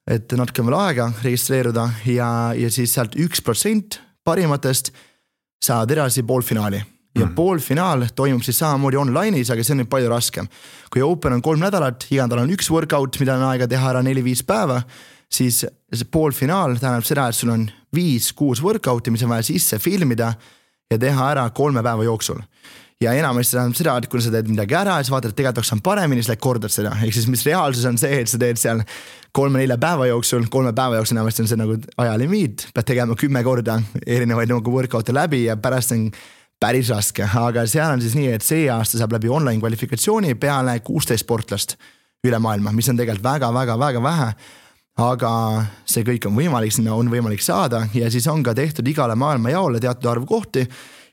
et natuke veel aega registreeruda ja siis sealt 1% parimatest saavad edasi poolfinaali. Ja poolfinaal toimub siis samamoodi online'is, aga see on nüüd palju raskem. Kui Open on 3 nädalat, iga nädal on 1 workout, mida on aega teha ära 4-5 päeva, siis see poolfinaal tähendab seda, et sul on 5-6 workouti, mis on vaja sisse filmida ja teha ära 3 päeva jooksul. Ja enamasti tähendab seda, et kui sa teed midagi ära ja sa vaatad, et tegelikult on paremini, siis kordad seda. Ehk siis mis reaalsus on see, et sa teed seal 3-4 päeva jooksul, 3 päeva jooksul enamasti on see nagu ajalimiit, pead tegema 10 korda erinevaid nagu workout'e läbi ja pärast on päris raske, aga seal on siis nii, et see aasta saab läbi online kvalifikatsiooni peale 16 sportlast üle maailma, mis on tegelikult väga vähe, aga see kõik on võimalik, sinna on võimalik saada ja siis on ka tehtud igale maailma jaole teatud arvu kohti.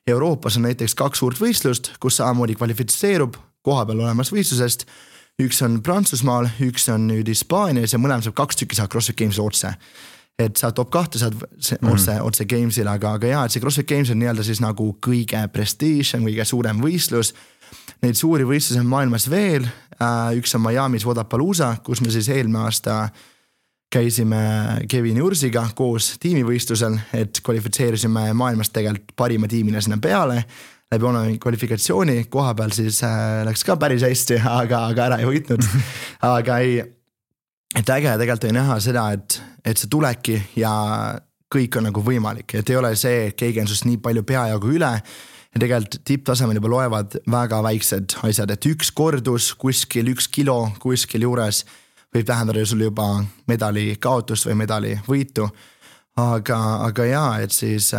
Euroopas on näiteks 2 suurt võistlust, kus samamoodi kvalifitseerub koha peal olemas võistlusest. Üks on Prantsusmaal, üks on nüüd Hispaanias ja mõlema saab 2 tükki saab CrossFit Games otse. Et sa top 2 saad otse Gamesile, aga jah, et see CrossFit Games on nii-öelda siis nagu kõige prestige, kõige suurem võistlus. Neid suuri võistlusi on maailmas veel, üks on Miami's Wodapalooza, kus me siis eelmine aasta käisime Kevin Ursiga koos tiimivõistlusel, et kvalifitseerisime maailmast tegelikult parima tiimina sinna peale. Läbi online kvalifikatsiooni koha peal siis läks ka päris hästi, aga ära ei võitnud, aga ei. Et äge tegelikult ei näha seda, et see tulebki ja kõik on nagu võimalik, et ei ole see, et keegi on sust nii palju peajagu üle ja tegelikult tipptasemel juba loevad väga väiksed asjad, et 1 kordus kuskil 1 kilo kuskil juures võib tähendada sul juba medali kaotust või medali võitu, aga jaa, et siis,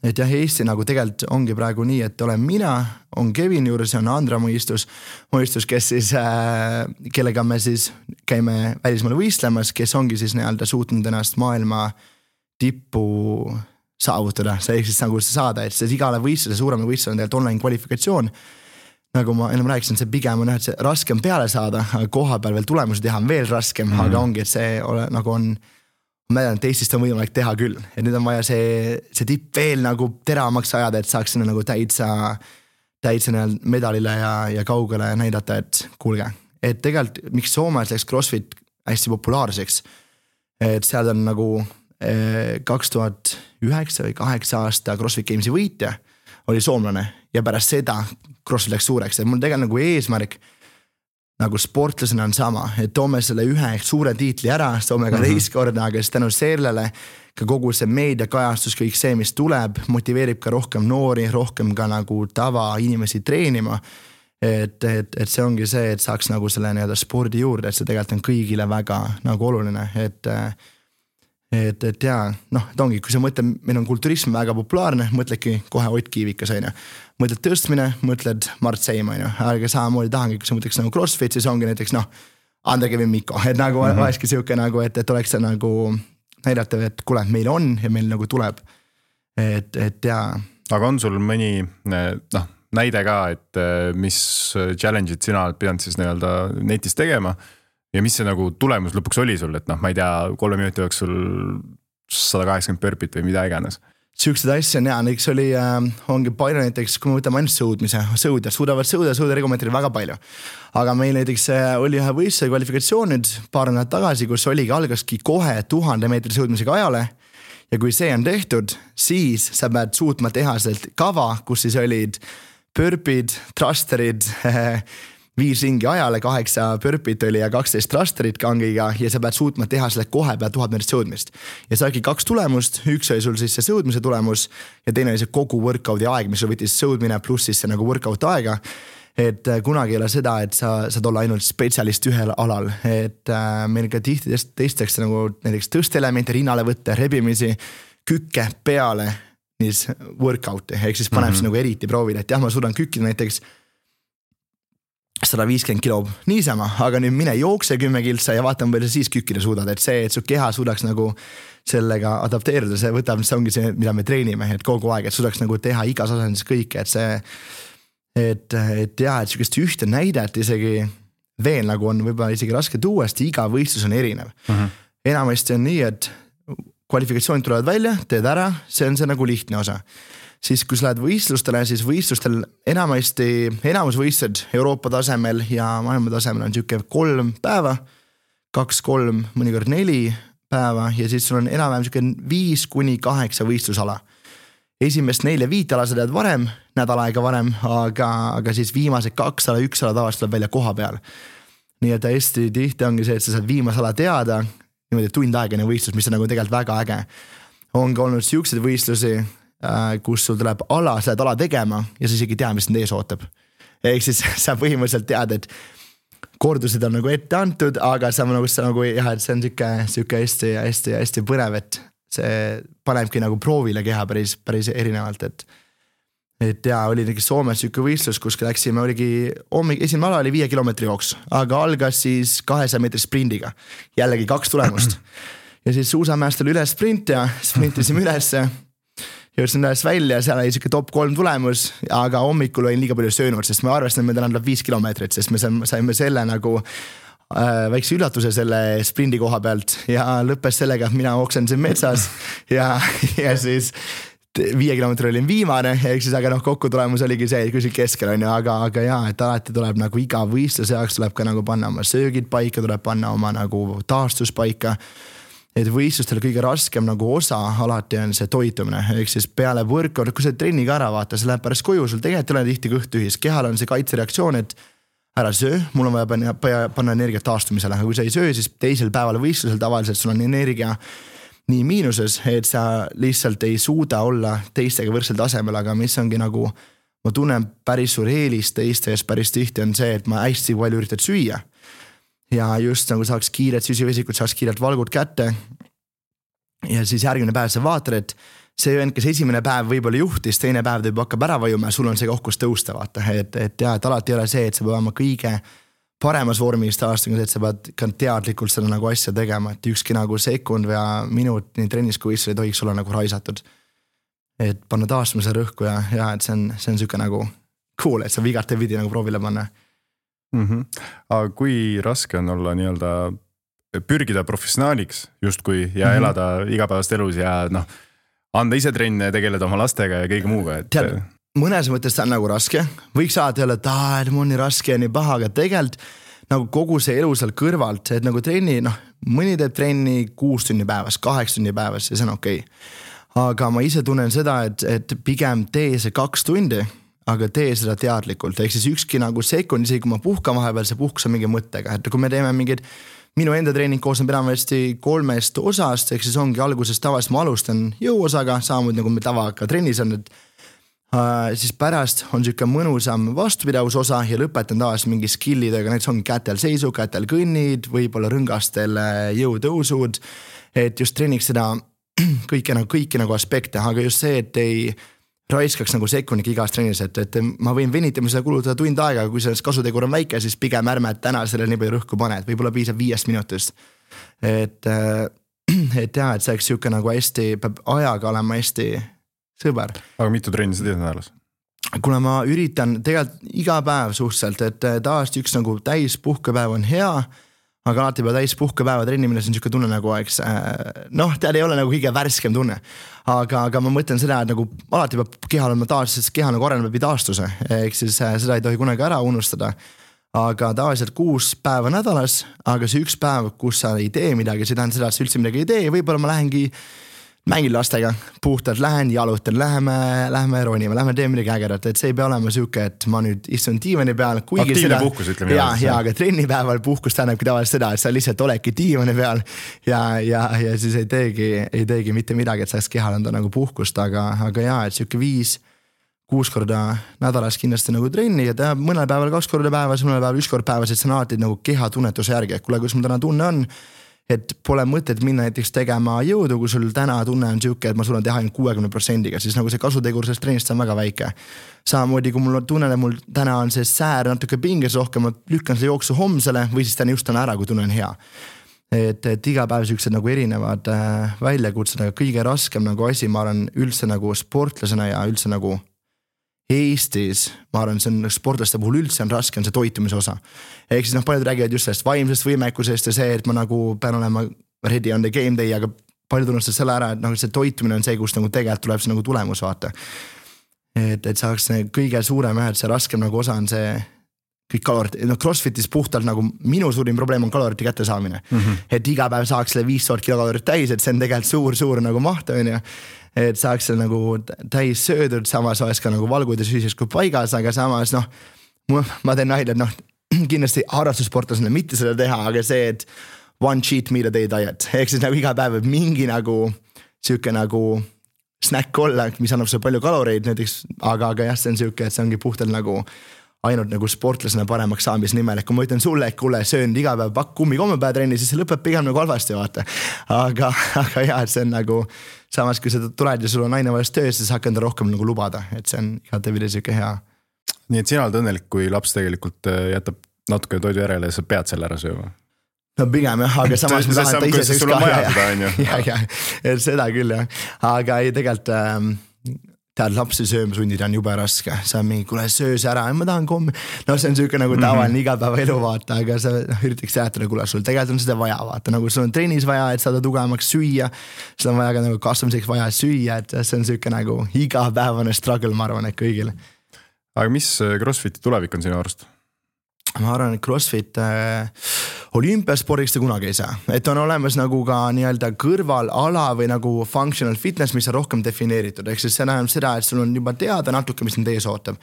et jah, Eesti nagu tegelikult ongi praegu nii, et olen mina, on Kevin juures ja on Andra mõistus, kes siis, kellega me siis käime välismaale võistlemas, kes ongi siis nii-öelda suutnud ennast maailma tippu saavutada, see ehk siis nagu saada, et see igale võistluse, suurema võistluse on tegelikult online kvalifikatsioon. Nagu ma ennem rääkisin, see pigem on, et see raskem peale saada, aga koha peal veel tulemusi teha on veel raskem, aga ongi, et see nagu on ma tean, et Eestist on võimalik teha küll, et nüüd on vaja see tipp veel nagu teravamaks ajada, et saaks sinna nagu täitsa medalile ja kaugele näidata, et kuulge, et tegelikult miks Soomes läks CrossFit hästi populaarseks, et seal on nagu 2009 või 2008 aasta CrossFit Gamesi võitja oli soomlane ja pärast seda CrossFit läks suureks, et mul tegelikult nagu eesmärk nagu sportlasena on sama, et toome selle ühe suure tiitli ära, toome ka teist korda, aga siis tänu sellele ka kogu see meediakajastus, kõik see, mis tuleb, motiveerib ka rohkem noori, rohkem ka nagu tava inimesi treenima. Et see ongi see, et saaks nagu selle nii-öelda spordi juurde, et see tegelikult on kõigile väga nagu oluline, et jaa, noh, et ongi, kui sa mõtled, meil on kulturism väga populaarne, mõtledki kohe Ott Kiivikas, on ju. Mõtled tõstmine, mõtled Mart Seim, on ju, aga samamoodi tahangi, kui sa mõtleks nagu CrossFit, siis ongi näiteks, noh, Andre Kevin Mikko, et nagu vaeski siuke nagu, et oleks see nagu näidata, et kuule, meil on ja meil nagu tuleb, et jaa. Aga on sul mõni, noh, näide ka, et mis challenge'id sina oled pidanud siis nii-öelda netis tegema ja mis see nagu tulemus lõpuks oli sul, et noh, ma ei tea, 3 minuti jooksul 180 burpit või mida iganes. Siuksed asja on jaa, näiteks ongi palju näiteks, kui me võtame ainult sõudjad suudavad sõuda regomeetri väga palju. Aga meil näiteks oli ühe võistluse kvalifikatsioon nüüd paar nädalat tagasi, kus algaski kohe 1000 meetri sõudmisega ajale. Ja kui see on tehtud, siis sa pead suutma teha sealt kava, kus siis olid burpid, thrusterid, 5 ringi ajale, 8 burpit oli ja 12 thrusterit kangiga ja sa pead suutma teha selle kohe peal 1000 meetrit sõudmist. Ja sa oligi 2 tulemust, üks oli sul siis see sõudmise tulemus ja teine oli see kogu workout'i aeg, mis sul võttis sõudmine pluss siis see nagu workout aega. Et kunagi ei ole seda, et sa saad olla ainult spetsialist ühel alal, et meil ka tihti teistakse nagu näiteks tõstelementi, rinnale võtta, rebimisi, kükke peale niis workout'i, ehk siis paneb siis nagu eriti proovile, et jah, ma suudan kükkida näiteks 150 kilo niisama, aga nüüd mine jookse 10 kiltsa ja vaatame, palju siis kükkida suudad, et see, et su keha suudaks nagu sellega adapteerida, see võtab, see ongi see, mida me treenime, et kogu aeg, et suudaks nagu teha igas asendis kõike, et see, et jah, et sellist ühte näidet isegi veel nagu on võib-olla isegi raske tuua, sest iga võistlus on erinev. Enamasti on nii, et kvalifikatsioonid tulevad välja, teed ära, see on see nagu lihtne osa. Siis kui sa lähed võistlustele, siis võistlustel enamus võistled Euroopa tasemel ja maailma tasemel on siuke 3 päeva, 2-3, mõnikord 4 päeva ja siis sul on enam-vähem siuke 5-8 võistlusala. Esimest 4-5 ala sa tead varem, nädal aega varem, aga siis viimased 2 ala, 1 ala tavaliselt tuleb välja koha peal. Nii et hästi tihti ongi see, et sa saad viimase ala teada, niimoodi tund aegane võistlus, mis on nagu tegelikult väga äge. Ongi olnud siuksed võistlusi, kus sul tuleb sa lähed ala tegema ja sa isegi tea, mis need ees ootab. Ehk siis sa põhimõtteliselt tead, et kordused on nagu ette antud, aga sa nagu jah, et see on siuke hästi põnev, et see panebki nagu proovile keha päris erinevalt, et jaa, oli näiteks Soomes siuke võistlus, kus läksime, esimene ala oli 5 kilomeetri jooks, aga algas siis 200 meetri sprindiga, jällegi 2 tulemust ja siis suusamäest oli üles sprint ja sprintisime ülesse jõudsin üles välja, seal oli siuke top 3 tulemus, aga hommikul olin liiga palju söönud, sest me arvestame, et meil tuleb 5 kilomeetrit, sest me saime selle nagu väikse üllatuse selle sprindi koha pealt ja lõppes sellega, et mina oksendasin metsas ja siis 5 kilomeetri olin viimane, ehk siis aga kokku tulemus oligi see, et küsil keskel on ju, aga jaa, et alati tuleb nagu iga võistluse jaoks tuleb ka nagu panna oma söögid paika, tuleb panna oma nagu taastus paika. Et võistlustel kõige raskem nagu osa alati on see toitumine, ehk siis peale workout, kui sa trenniga ära vaata, see läheb pärast koju, sul tegelikult ei ole tihti kõht tühis, kehal on see kaitsereaktsioon, et ära söö, mul on vaja panna energia taastumisele, aga kui sa ei söö, siis teisel päeval võistlusel tavaliselt sul on energia nii miinuses, et sa lihtsalt ei suuda olla teistega võrdsel tasemel, aga mis ongi nagu, ma tunnen päris suur eelis teistes päris tihti on see, et ma hästi palju üritad süüa. Ja just nagu saaks kiiret süsivesikut, saaks kiiret valgud kätte ja siis järgmine päev sa vaatad, et see vend, kes esimene päev võib-olla juhtis, teine päev ta juba hakkab ära vajuma ja sul on see koht, kus tõusta, vaata, et alati ei ole see, et sa pead olema kõige paremas vormis aastaga, et sa pead ka teadlikult seda nagu asja tegema, et ükski nagu sekund või minut nii trennis kui võistlusel ei tohiks olla nagu raisatud. Et panna taastumise rõhku ja et see on siuke nagu cool, et sa vigarte vidi nagu proovile panna. Aga kui raske on olla nii-öelda pürgida professionaaliks justkui ja elada igapäevast elus ja anda ise trenne, tegeleda oma lastega ja kõige muuga, et... Tead, mõnes mõttes ta on nagu raske, võiks saada jälle, et mul on nii raske ja nii paha, aga tegelikult nagu kogu see elu seal kõrvalt, et nagu trenni, mõni teeb trenni 6 tunni päevas, 8 tunni päevas ja see on okei. Aga ma ise tunnen seda, et pigem tee see 2 tundi, aga tee seda teadlikult, ehk siis ükski nagu sekund, isegi kui ma puhkan vahepeal, see puhkus on mingi mõttega, et kui me teeme mingid minu enda treening koosneb enamasti 3 osast, ehk siis ongi alguses tavaliselt ma alustan jõuosaga, samamoodi nagu me tavaga trennis on, et siis pärast on siuke mõnusam vastupidavusosa ja lõpetan tavaliselt mingi skillidega, näiteks ongi kätel seisu, kätel kõnnid, võib-olla rõngastel jõutõusud, et just treeniks seda kõiki nagu aspekte, aga just see, et ei raiskaks nagu sekundik igas trennis, et ma võin venitamisele kulutada tund aega, kui sellest kasutegur on väike, siis pigem ärme täna sellele nii palju rõhku pane, et võib-olla piisab 5 minutist. Et see oleks siuke nagu hästi, peab ajaga olema hästi sõber. Aga mitu trenni sa teed nädalas? Kuna ma üritan tegelikult iga päev suhteliselt, et tavaliselt üks nagu täis puhkepäev on hea, aga alati peab täis puhkepäeva trennimine, see on siuke tunne nagu tead ei ole nagu kõige värskem tunne, aga ma mõtlen seda, et nagu alati peab kehal olema taas, sest keha nagu areneb läbi taastuse, ehk siis seda ei tohi kunagi ära unustada, aga tavaliselt 6 päeva nädalas, aga see üks päev, kus sa ei tee midagi, see tähendab seda, et sa üldse midagi ei tee, võib-olla ma lähengi mängin lastega, puhtalt lähen, jalutan, läheme ronime, lähme teeme midagi ägedat, et see ei pea olema siuke, et ma nüüd istun diivani peal. Aktiivne puhkus, ütleme. Ja, aga trennipäeval puhkus tähendabki tavaliselt seda, et sa lihtsalt oledki diivani peal ja siis ei teegi mitte midagi, et saaks kehal anda nagu puhkust, aga et siuke 5-6 korda nädalas kindlasti nagu trenni ja teha mõnel päeval 2 korda päevas, mõnel päeval 1 kord päevas, et see on alati nagu keha tunnetuse järgi, et kuule, kus mul täna tunne on, et pole mõtet minna näiteks tegema jõudu, kui sul täna tunne on siuke, et ma suudan teha ainult 60%-ga, siis nagu see kasutegur sellest trennist on väga väike. Samamoodi, kui mul tunnen, et mul täna on see säär natuke pinges rohkem, ma lükkan selle jooksu homsele või siis täna just ära, kui tunne on hea. Et iga päev siuksed nagu erinevad väljakutsed, aga kõige raskem nagu asi, ma arvan üldse nagu sportlasena ja üldse nagu Eestis, ma arvan, see on sportlaste puhul üldse on raske, on see toitumise osa. Ehk siis paljud räägivad just sellest vaimsest võimekusest ja see, et ma nagu pean olema ready on the game day, aga paljud unustavad selle ära, et nagu see toitumine on see, kus nagu tegelikult tuleb see nagu tulemus vaata. Et saaks kõige suurem et see raskem nagu osa on see kõik kalorid, CrossFitis puhtalt nagu minu suurim probleem on kalorite kätte saamine. Et iga päev saaks selle 500 kilokalorit täis, et see on tegelikult suur nagu maht on ju. Et saaks seal nagu täis söödud, samas oleks ka nagu valgud ja süüsis kui paigas, aga samas ma teen nalja, et kindlasti harrastussportlasena mitte seda teha, aga see, et one cheat meal a day diet, ehk siis nagu iga päev võib mingi nagu siuke nagu snack olla, mis annab sulle palju kaloreid näiteks, aga jah, see on siuke, et see ongi puhtalt nagu ainult nagu sportlasena paremaks saamise nimel, et kui ma ütlen sulle, et kuule, söön iga päev pakk kummikommepäev trenni, siis see lõpeb pigem nagu halvasti vaata. Aga jah, see on nagu samas, kui sa tuled ja sul on aina valest töös, siis hakkan ta rohkem nagu lubada, et see on igatepidi siuke hea. Nii et sina oled õnnelik, kui laps tegelikult jätab natuke toidu järele ja sa pead selle ära sööma? No pigem jah, aga samas ma tahan, et ta ise sul on vaja seda, on ju. Ja, seda küll jah, aga ei tegelikult tead, lapsi sööma sundida on jube raske, sa on mingi, kuule söös ära, ma tahan kommi, no see on siuke nagu tavaline igapäeva elu vaata, aga sa üritaks säätada, kuule sul tegelikult on seda vaja vaata, nagu sul on trennis vaja, et saada tugevamaks süüa, sul on vaja ka nagu kasvamiseks vaja süüa, et see on siuke nagu igapäevane struggle, ma arvan, et kõigil. Aga mis CrossFiti tulevik on sinu arust? Ma arvan, et CrossFit olümpiaspordiks ta kunagi ei saa, et on olemas nagu ka nii-öelda kõrvalala või nagu functional fitness, mis on rohkem defineeritud, ehk siis see näeb seda, et sul on juba teada natuke, mis nüüd ees ootab.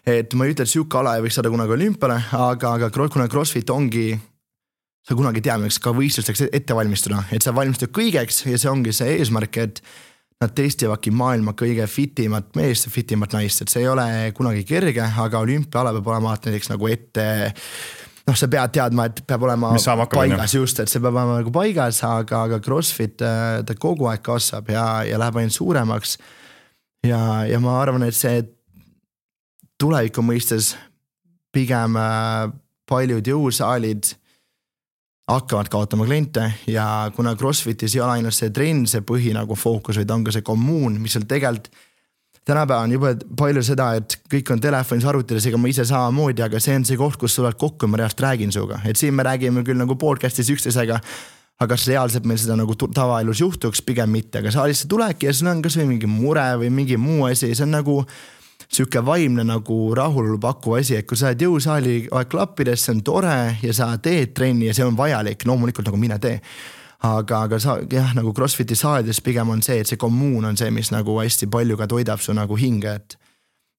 Et ma ei ütle, et siuke ala ei võiks saada kunagi olümpiale, aga kuna CrossFit ongi, sa kunagi teame, ka võistlusteks ette valmistada, et sa valmistad kõigeks ja see ongi see eesmärk, et nad testivadki maailma kõige fitimat meest ja fitimat naist, et see ei ole kunagi kerge, aga olümpiaala peab olema näiteks nagu ette noh, sa pead teadma, et peab olema paigas just, et see peab olema nagu paigas, aga CrossFit ta kogu aeg kasvab ja läheb ainult suuremaks. Ja ma arvan, et see tuleviku mõistes pigem paljud jõusaalid hakkavad kaotama kliente ja kuna CrossFitis ei ole ainult see trend, see põhi nagu fookus, vaid on ka see kommuun, mis seal tegelikult tänapäeva on juba palju seda, et kõik on telefonis arvutides, ega ma ise samamoodi, aga see on see koht, kus tulevad kokku ja ma reaalselt räägin suga. Et siin me räägime küll nagu podcastis üksteisega, aga kas reaalselt meil seda nagu tavaelus juhtuks, pigem mitte, aga sa lihtsalt tuleki ja sul on kas või mingi mure või mingi muu asi, see on nagu siuke vaimne nagu rahulolu pakkuv asi, et kui sa oled jõusaali klappides, see on tore ja sa teed trenni ja see on vajalik, loomulikult nagu mine tee. Aga sa, jah, nagu CrossFiti saalides pigem on see, et see kommuun on see, mis nagu hästi palju ka toidab su nagu hinge,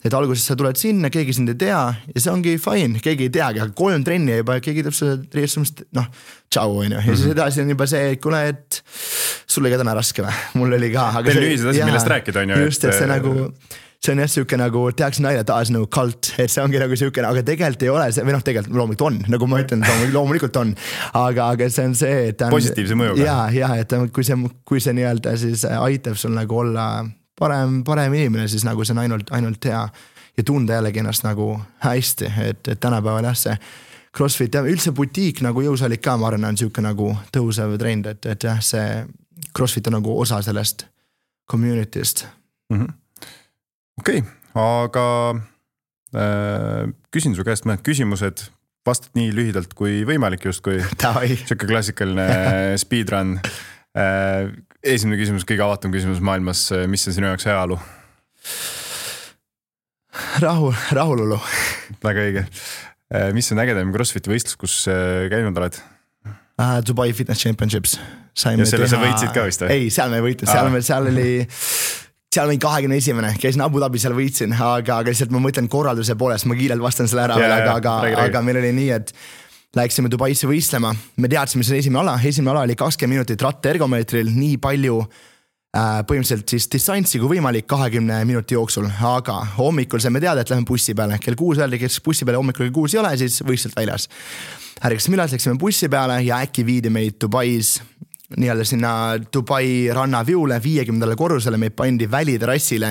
et alguses sa tuled sinna, keegi sind ei tea ja see ongi fine, keegi ei teagi, aga 3 trenni juba, keegi teeb seda reessumist, noh, tšau on ju, ja siis edasi on juba see, et kuule, et sul oli ka täna raske või, mul oli ka. Teil on ühised asjad, millest rääkida on ju. Just, et see nagu, see on jah siuke nagu, tehakse naine taas nagu kult, et see ongi nagu siuke, aga tegelikult ei ole see, või noh, tegelikult loomulikult on, nagu ma ütlen, loomulikult on, aga see on see, et positiivse mõjuga. Ja, et kui see nii-öelda siis aitab sul nagu olla parem inimene, siis nagu see on ainult hea ja tunda jällegi ennast nagu hästi, et tänapäeval jah, see CrossFit ja üldse butiik nagu jõusaalik ka, ma arvan, on siuke nagu tõusev trend, et jah, see CrossFit on nagu osa sellest community'st. Okei, aga küsin su käest mõned küsimused, vastad nii lühidalt kui võimalik just, kui siuke klassikaline speedrun. Esimene küsimus, kõige avatum küsimus maailmas, mis on sinu jaoks heaolu? Rahulolu. Väga õige. Mis on ägedam CrossFiti võistlus, kus käinud oled? Dubai Fitness Championships. Ja selle sa võitsid ka vist? Ei, seal me ei võitnud, seal oli 21, käisin Abu Dhabi, seal võitsin, aga lihtsalt ma mõtlen korralduse poolest, ma kiirelt vastan selle ära, aga meil oli nii, et läksime Dubaisse võistlema, me teadsime, see esimene ala oli 20 minutit rattergomeetril, nii palju põhimõtteliselt siis distantsi kui võimalik 20 minuti jooksul, aga hommikul saime teada, et lähme bussi peale, kell 6 öeldi, kes bussi peale hommikul kell 6 ei ole, siis võistlelt väljas. Ärgasime üles, läksime bussi peale ja äkki viidi meid Dubais nii-öelda sinna Dubai rannaviule 50. korrusele, meid pandi väliterassile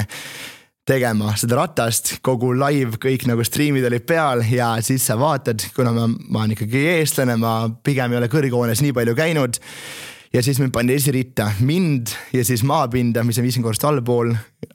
tegema seda ratast, kogu live, kõik nagu streamid olid peal ja siis sa vaatad, kuna ma olen ikkagi eestlane, ma pigem ei ole kõrghoones nii palju käinud ja siis mind pandi esiritta, mind ja siis maapinda, mis on 50 korrust allpool,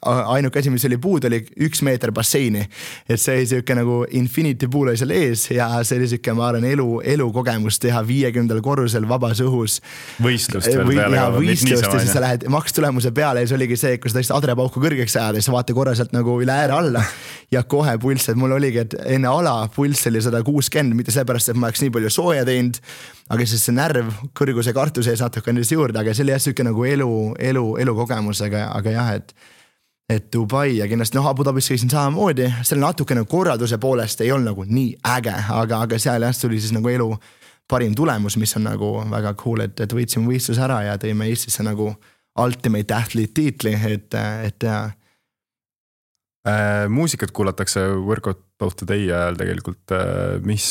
ainuke asi, mis oli puud, oli 1 meeter basseini, et see oli siuke nagu infinity pool oli seal ees ja see oli siuke, ma arvan, elu kogemus teha 50. korrusel vabas õhus. Võistlust veel peale. Võistlust ja siis sa lähed makstulemuse peale ja see oligi see, kus ta lihtsalt adrepauku kõrgeks ajada ja siis vaata korra sealt nagu üle ääre alla ja kohe pulss, et mul oligi, et enne ala pulss oli 160, mitte sellepärast, et ma oleks nii palju sooja teinud, aga siis see närv kõrguse kartuse ees natuke on juurde, aga see oli jah siuke nagu elu kogemus, aga jah, et Dubai ja kindlasti Abu Dhabis käisin samamoodi, seal natuke nagu korralduse poolest ei olnud nagu nii äge, aga seal jah tuli siis nagu elu parim tulemus, mis on nagu väga cool, et võitsime võistlus ära ja tõime Eestisse nagu ultimate athlete tiitli, et muusikat kuulatakse Workout of the Day ajal tegelikult, mis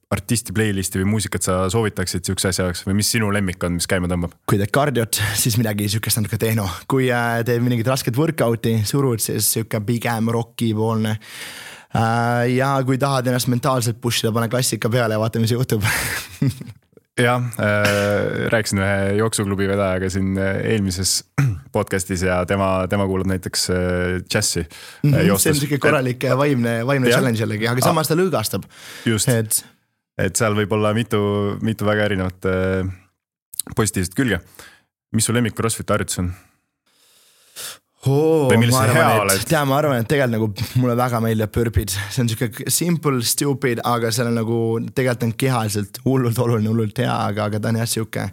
artisti playlisti või muusikat sa soovitaksid siukse asja jaoks või mis sinu lemmik on, mis käima tõmbab? Kui teed kardiot, siis midagi siukest natuke tehno. Kui teed mingit rasket workouti, surud, siis siuke pigem rocki poolne. Ja kui tahad ennast mentaalselt pushida, pane klassika peale ja vaata, mis juhtub. Jah, rääkisin ühe jooksuklubi vedajaga siin eelmises podcastis ja tema kuulab näiteks džässi. See on siuke korralik vaimne challenge jällegi, aga samas ta lõõgastab. Just. Et seal võib olla mitu väga erinevat positiivset külge. Mis su lemmik CrossFit harjutus on? Ma arvan, et tegelikult nagu mulle väga meeldib pürpid. See on siuke simple, stupid, aga seal on nagu tegelikult on kehaliselt hullult oluline, hullult hea, aga ta on jah siuke,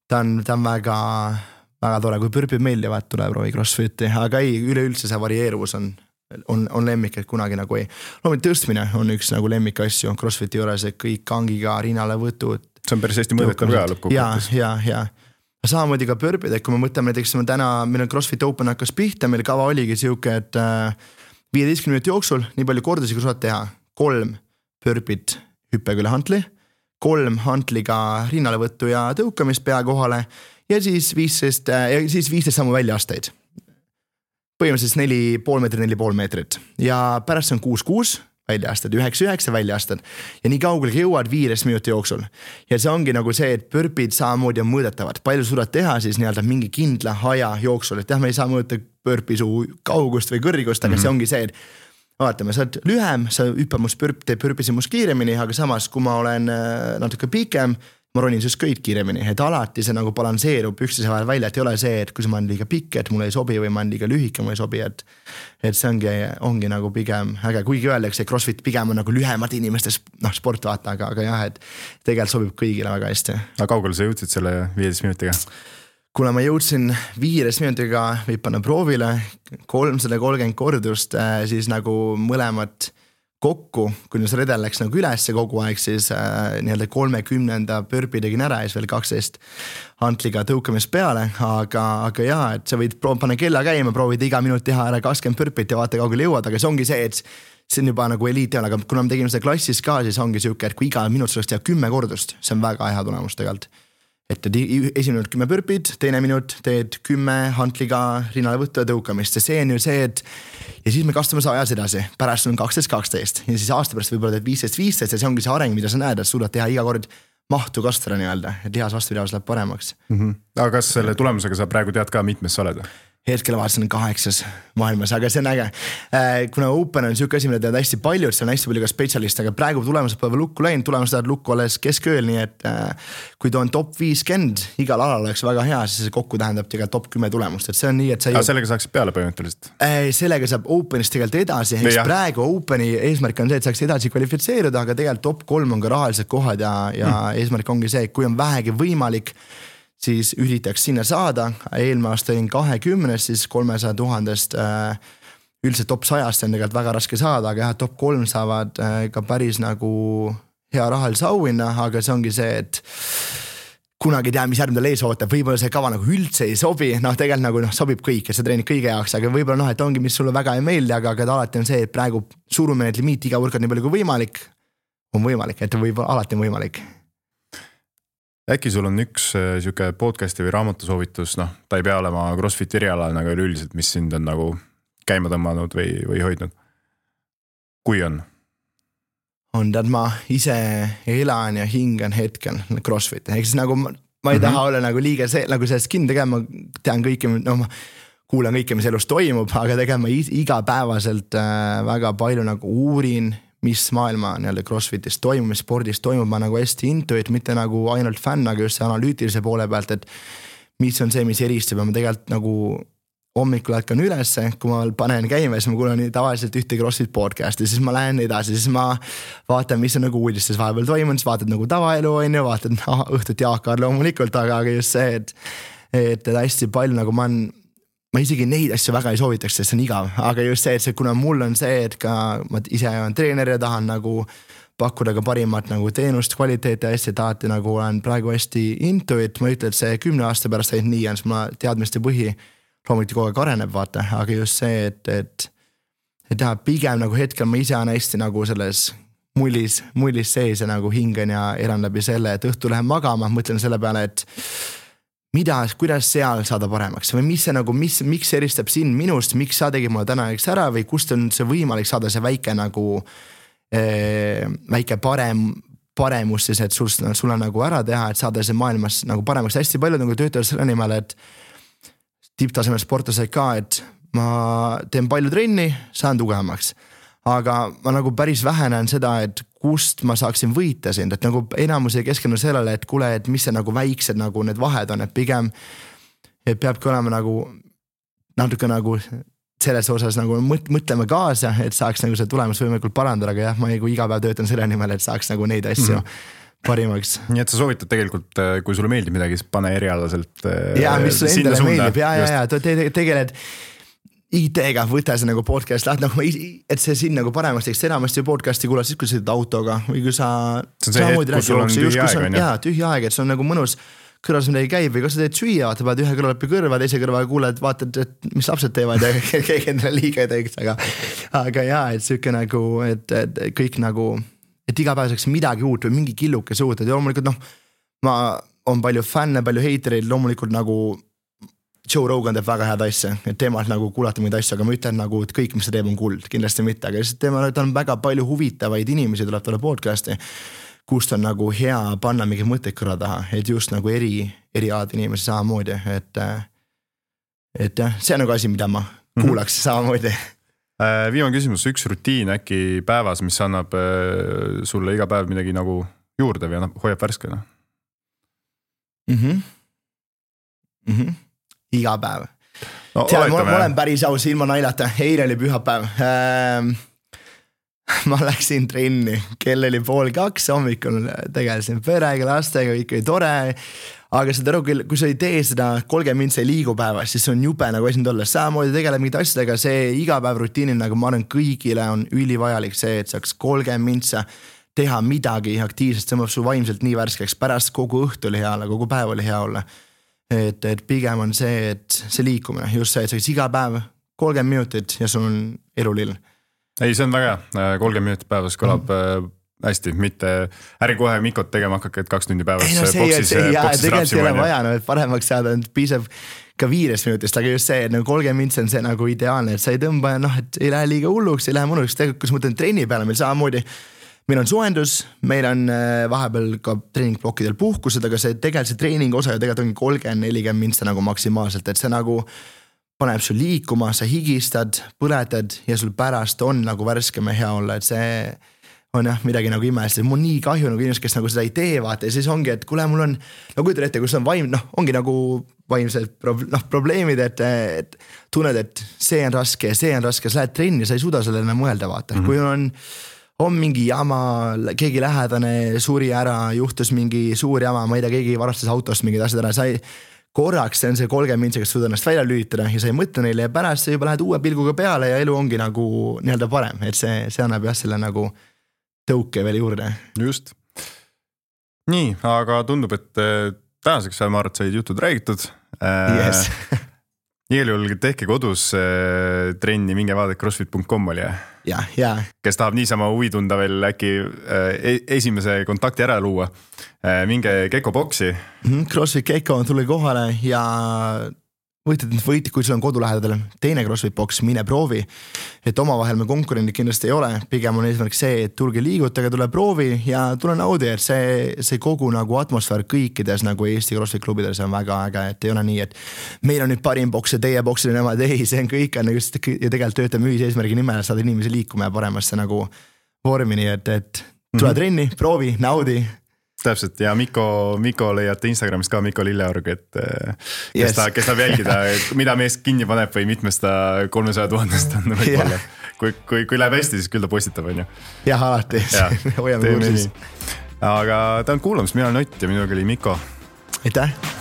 ta on väga tore, kui pürpid meeldivad, tuleb roovi CrossFiti, aga ei, üleüldse see varieeruvus on lemmik, et kunagi nagu ei. Loomulikult tõstmine on üks nagu lemmik asju CrossFiti juures, et kõik kangiga rinnale võtud. See on päris hästi mõõdetav ka lõppkokkuvõttes. Ja. Samamoodi ka pörpid, et kui me mõtleme näiteks meil on CrossFit Open hakkas pihta, meil kava oligi siuke, et 15 minuti jooksul nii palju kordasid, kui saad teha 3 pörpid hüppega üle hantli, 3 hantliga rinnalevõttu ja tõukamist pea kohale ja siis 15 sammu väljaasteid. Põhimõtteliselt 4,5 meetrit, 4,5 meetrit ja pärast on 6-6 väljaastad, 9-9 väljaastad ja nii kaugele jõuad 5 minuti jooksul. Ja see ongi nagu see, et pörpid samamoodi on mõõdetavad. Palju suudad teha siis nii-öelda mingi kindla aja jooksul, et me ei saa mõõta pörpi su kaugust või kõrgust, aga see ongi see, et vaatame, sa oled lühem, sa hüppad must teeb pörpisi must kiiremini, aga samas, kui ma olen natuke pikem, ma ronin sust köid kiiremini, et alati see nagu balanseerub üksteise vahel välja, et ei ole see, et kui ma olen liiga pikk, et mulle ei sobi või ma olen liiga lühike, mulle ei sobi, et see ongi nagu pigem äge, kuigi öeldakse, et CrossFit pigem on nagu lühemad inimestes sport vaata, aga jah, et tegelikult sobib kõigile väga hästi. Aga kaugele sa jõudsid selle 15 minutiga? Kuna ma jõudsin 5 minutiga võib panna proovile 330 kordust, siis nagu mõlemad kokku, kui see redel läks nagu üles kogu aeg, siis nii-öelda 30. pörpi tegin ära ja siis veel 12 hantliga tõukamist peale, aga jaa, et sa võid panna kella käima, proovid iga minut teha ära 20 pörpit ja vaata kaugele jõuad, aga see ongi see, et see on juba nagu eliit, aga kuna me tegime seda klassis ka, siis ongi siuke, et kui iga minut suleks teha 10 kordust, see on väga hea tulemus tegelikult. Et esimene minut 10 pörpid, teine minut teed 10 hantliga rinnale võttu ja tõukamist ja see on ju see, et ja siis me kastume ajas edasi, pärast on 12-12 ja siis aasta pärast võib-olla teed 15-15 ja see ongi see areng, mida sa näed, et suudad teha iga kord mahtu kasvada nii-öelda, et lihas vastupidavus läheb paremaks. Aga kas selle tulemusega sa praegu tead ka mitmes sa oled? Hetkel vaatasin 8 maailmas, aga see on äge. Kuna Open on siuke asi, mida tead hästi palju, et see on hästi palju ka spetsialist, aga praegu tulemused pole lukku läinud, tulemused lähevad lukku alles keskööl, nii et kui ta on top 50 igal alal oleks väga hea, siis see kokku tähendab tegelikult top 10 tulemust, et see on nii, et sa sellega saaksid peale põhimõtteliselt? Sellega saab Openist tegelikult edasi, praegu Openi eesmärk on see, et saaks edasi kvalifitseeruda, aga tegelikult top 3 on ka rahalised kohad ja eesmärk ongi see, kui on vähegi võimalik, siis üritaks sinna saada, eelmine aasta olin 20, siis 300 000 üldiselt top 100 on tegelikult väga raske saada, aga jah, top 3 saavad ka päris nagu hea rahalise auhinna, aga see ongi see, et kunagi ei tea, mis järgmine ees ootab, võib-olla see kava nagu üldse ei sobi, tegelikult nagu sobib kõik ja sa treenid kõige jaoks, aga võib-olla et ongi, mis sulle väga ei meeldi, aga alati on see, et praegu surume need limiit iga võrkad nii palju kui võimalik, on võimalik, et võib-olla alati on võimalik. Äkki sul on üks siuke podcasti või raamatusoovitus, ta ei pea olema CrossFit erialal nagu üldiselt, mis sind on nagu käima tõmmanud või hoidnud? Kui on? On tead, ma ise elan ja hingan hetkel CrossFit, ehk siis nagu ma ei taha olla nagu liiga nagu sellest kinni tegema, ma tean kõike, ma kuulan kõike, mis elus toimub, aga tegema igapäevaselt väga palju nagu uurin, mis maailma nii-öelda CrossFitis toimub, mis spordis toimub, ma nagu hästi into, et mitte nagu ainult fänn, aga just see analüütilise poole pealt, et mis on see, mis eristub ja ma tegelikult nagu hommikul hetkan ülesse, kui ma panen käima, siis ma kuulan tavaliselt ühte CrossFit podcasti, siis ma lähen edasi, siis ma vaatan, mis on nagu uudistes vahepeal toimunud, siis vaatad nagu tavaelu, vaatad õhtut Jaakar loomulikult, aga just see, et hästi palju nagu ma isegi neid asju väga ei soovitaks, sest see on igav, aga just see, et kuna mul on see, et ka ma ise olen treener ja tahan nagu pakkuda ka parimat nagu teenust, kvaliteeti ja hästi tahati nagu olen praegu hästi into, et ma ütlen, et see 10 aasta pärast ainult nii on, siis ma teadmiste põhi loomulikult kogu aeg areneb, vaata, aga just see, et teha pigem nagu hetkel ma ise on hästi nagu selles mullis sees ja nagu hingan ja elan läbi selle, et õhtu lähen magama, mõtlen selle peale, et kuidas seal saada paremaks või mis see nagu, miks eristab sind minust, miks sa tegid mulle täna ära või kust on see võimalik saada see väike nagu väike paremus siis, et sul on nagu ära teha, et saada see maailmas nagu paremaks. Hästi palju nagu töötavad selle nimel, et tipptasemel sportlased ka, et ma teen palju trenni, saan tugevamaks. Aga ma nagu päris vähe näen seda, et kust ma saaksin võita sind, et nagu enamus ei keskendu sellele, et kuule, et mis see nagu väiksed nagu need vahed on, et pigem et peabki olema nagu natuke nagu selles osas nagu mõtlema kaasa, et saaks nagu see tulemus võimalikult parandada, aga jah, ma iga päev töötan selle nimel, et saaks nagu neid asju parimaks. Nii et sa soovitad tegelikult, kui sulle meeldib midagi, siis pane erialaselt mis sulle endale meeldib, ja tegeled IT-ga, võta see nagu podcast lahti, nagu, et see siin nagu paremaks teeks, enamasti podcasti kuulad siis, kui sa sõidad autoga või kui sa see on see hetk, kus sul on tühja aeg, jaa, tühja aeg, et see on nagu mõnus kõrvas midagi käib või kas sa teed süüa, vaata, paned ühe kõrva läbi kõrva, teise kõrva kuuled, vaatad, et mis lapsed teevad ja keegi endale liiga ei teeks, aga jaa, et siuke nagu, et kõik nagu et iga päev saaks midagi uut või mingi killuke uut, et loomulikult on palju fänne, palju heitereid, loomulikult nagu Joe Rogan teeb väga head asja, et teemalt nagu kuulata mingeid asju, aga ma ütlen nagu, et kõik, mis ta teeb on kuld, kindlasti mitte, aga lihtsalt ta on väga palju huvitavaid inimesi tuleb talle podcasti, kust on nagu hea panna mingi mõtteid kõrva taha, et just nagu eri aad inimesi samamoodi, et jah, see on nagu asi, mida ma kuulaks samamoodi. Viimane küsimus, üks rutiin äkki päevas, mis annab sulle iga päev midagi nagu juurde või hoiab värskena? Iga päev. No, ma olen päris aus ilma naljata, eile oli pühapäev. Ma läksin trenni, kell oli 1:30 hommikul, tegelesin perega, lastega, kõik oli tore. Aga seda aru, kui sa ei tee seda 30 mintsa ei liigu päevas, siis on jube nagu esind olla. Samamoodi tegeleb mingid asjadega, see iga päev rutiinil, nagu ma arvan, kõigile on ülivajalik see, et saaks 30 mintsa teha midagi aktiivselt, see mõtleb su vaimselt nii värskeks, pärast kogu õhtu oli hea olla, kogu päev oli hea olla. Et pigem on see, et see liikumine, just see, et saaks iga päev 30 minutit ja sul on elulill. Ei, see on väga hea, 30 minutit päevas kõlab hästi, mitte äri kohe Mikot tegema hakake, et 2 tundi päevas boksis tegelikult ei ole vaja, et paremaks saada, piisab ka 5 minutist, aga just see, et nagu 30 mints on see nagu ideaalne, et sa ei tõmba, et ei lähe liiga hulluks, ei lähe mõnuks, tegelikult kui sa mõtlen trenni peale, meil samamoodi, meil on suendus, meil on vahepeal ka treeningblokkidel puhkused, aga see tegelikult see treening osa ja tegelikult ongi 30-40 mintsa nagu maksimaalselt, et see nagu paneb sul liikuma, sa higistad, põletad ja sul pärast on nagu värskem ja hea olla, et see on jah midagi nagu imest, mul on nii kahju nagu inimesed, kes nagu seda ei tee, vaata ja siis ongi, et kuule, mul on, no kujutan ette, kus on vaim, ongi nagu vaimsed probleemid, et tunned, et see on raske, sa lähed trenni, sa ei suuda sellele mõelda, vaata, kui on mingi jama, keegi lähedane suri ära, juhtus mingi suur jama, ma ei tea, keegi varastas autost mingid asjad ära, sa ei korraks see on see 30 mintsa, kes suuda ennast välja lülitada ja sa ei mõtle neile ja pärast sa juba lähed uue pilguga peale ja elu ongi nagu nii-öelda parem, et see annab jah selle nagu tõuke veel juurde. Just. Nii, aga tundub, et tänaseks ma arvan, et said jutud räägitud. Yes. Igal juhul tehke kodus trenni, minge vaadake crossfit.com oli. Ja. Kes tahab niisama huvi tunda veel äkki esimese kontakti ära luua. Minge Gecko boksi. CrossFit Gecko on tulge kohale ja võitid, kui sul on kodu lähedal teine CrossFit boks, mine proovi, et omavahel me konkurendid kindlasti ei ole, pigem on eesmärk see, et tulge liigutage, tule proovi ja tule naudi, et see kogu nagu atmosfäär kõikides nagu Eesti CrossFit klubides on väga äge, et ei ole nii, et meil on nüüd parim boks ja teie boksil on nemad, ei, see on kõik on just ja tegelikult töötame ühise eesmärgi nimel, saada inimesi liikuma ja paremasse nagu vormini, et tule trenni, proovi, naudi. Täpselt ja Mikko leiate Instagramist ka Mikko Lilleorg, et kes tahab jälgida, mida mees kinni paneb või mitmest ta 300 000 on võib-olla. Kui läheb hästi, siis küll ta postitab, on ju. Jah, alati. Hoiame kursis. Aga tänan kuulamist, mina olen Ott ja minuga oli Mikko. Aitäh!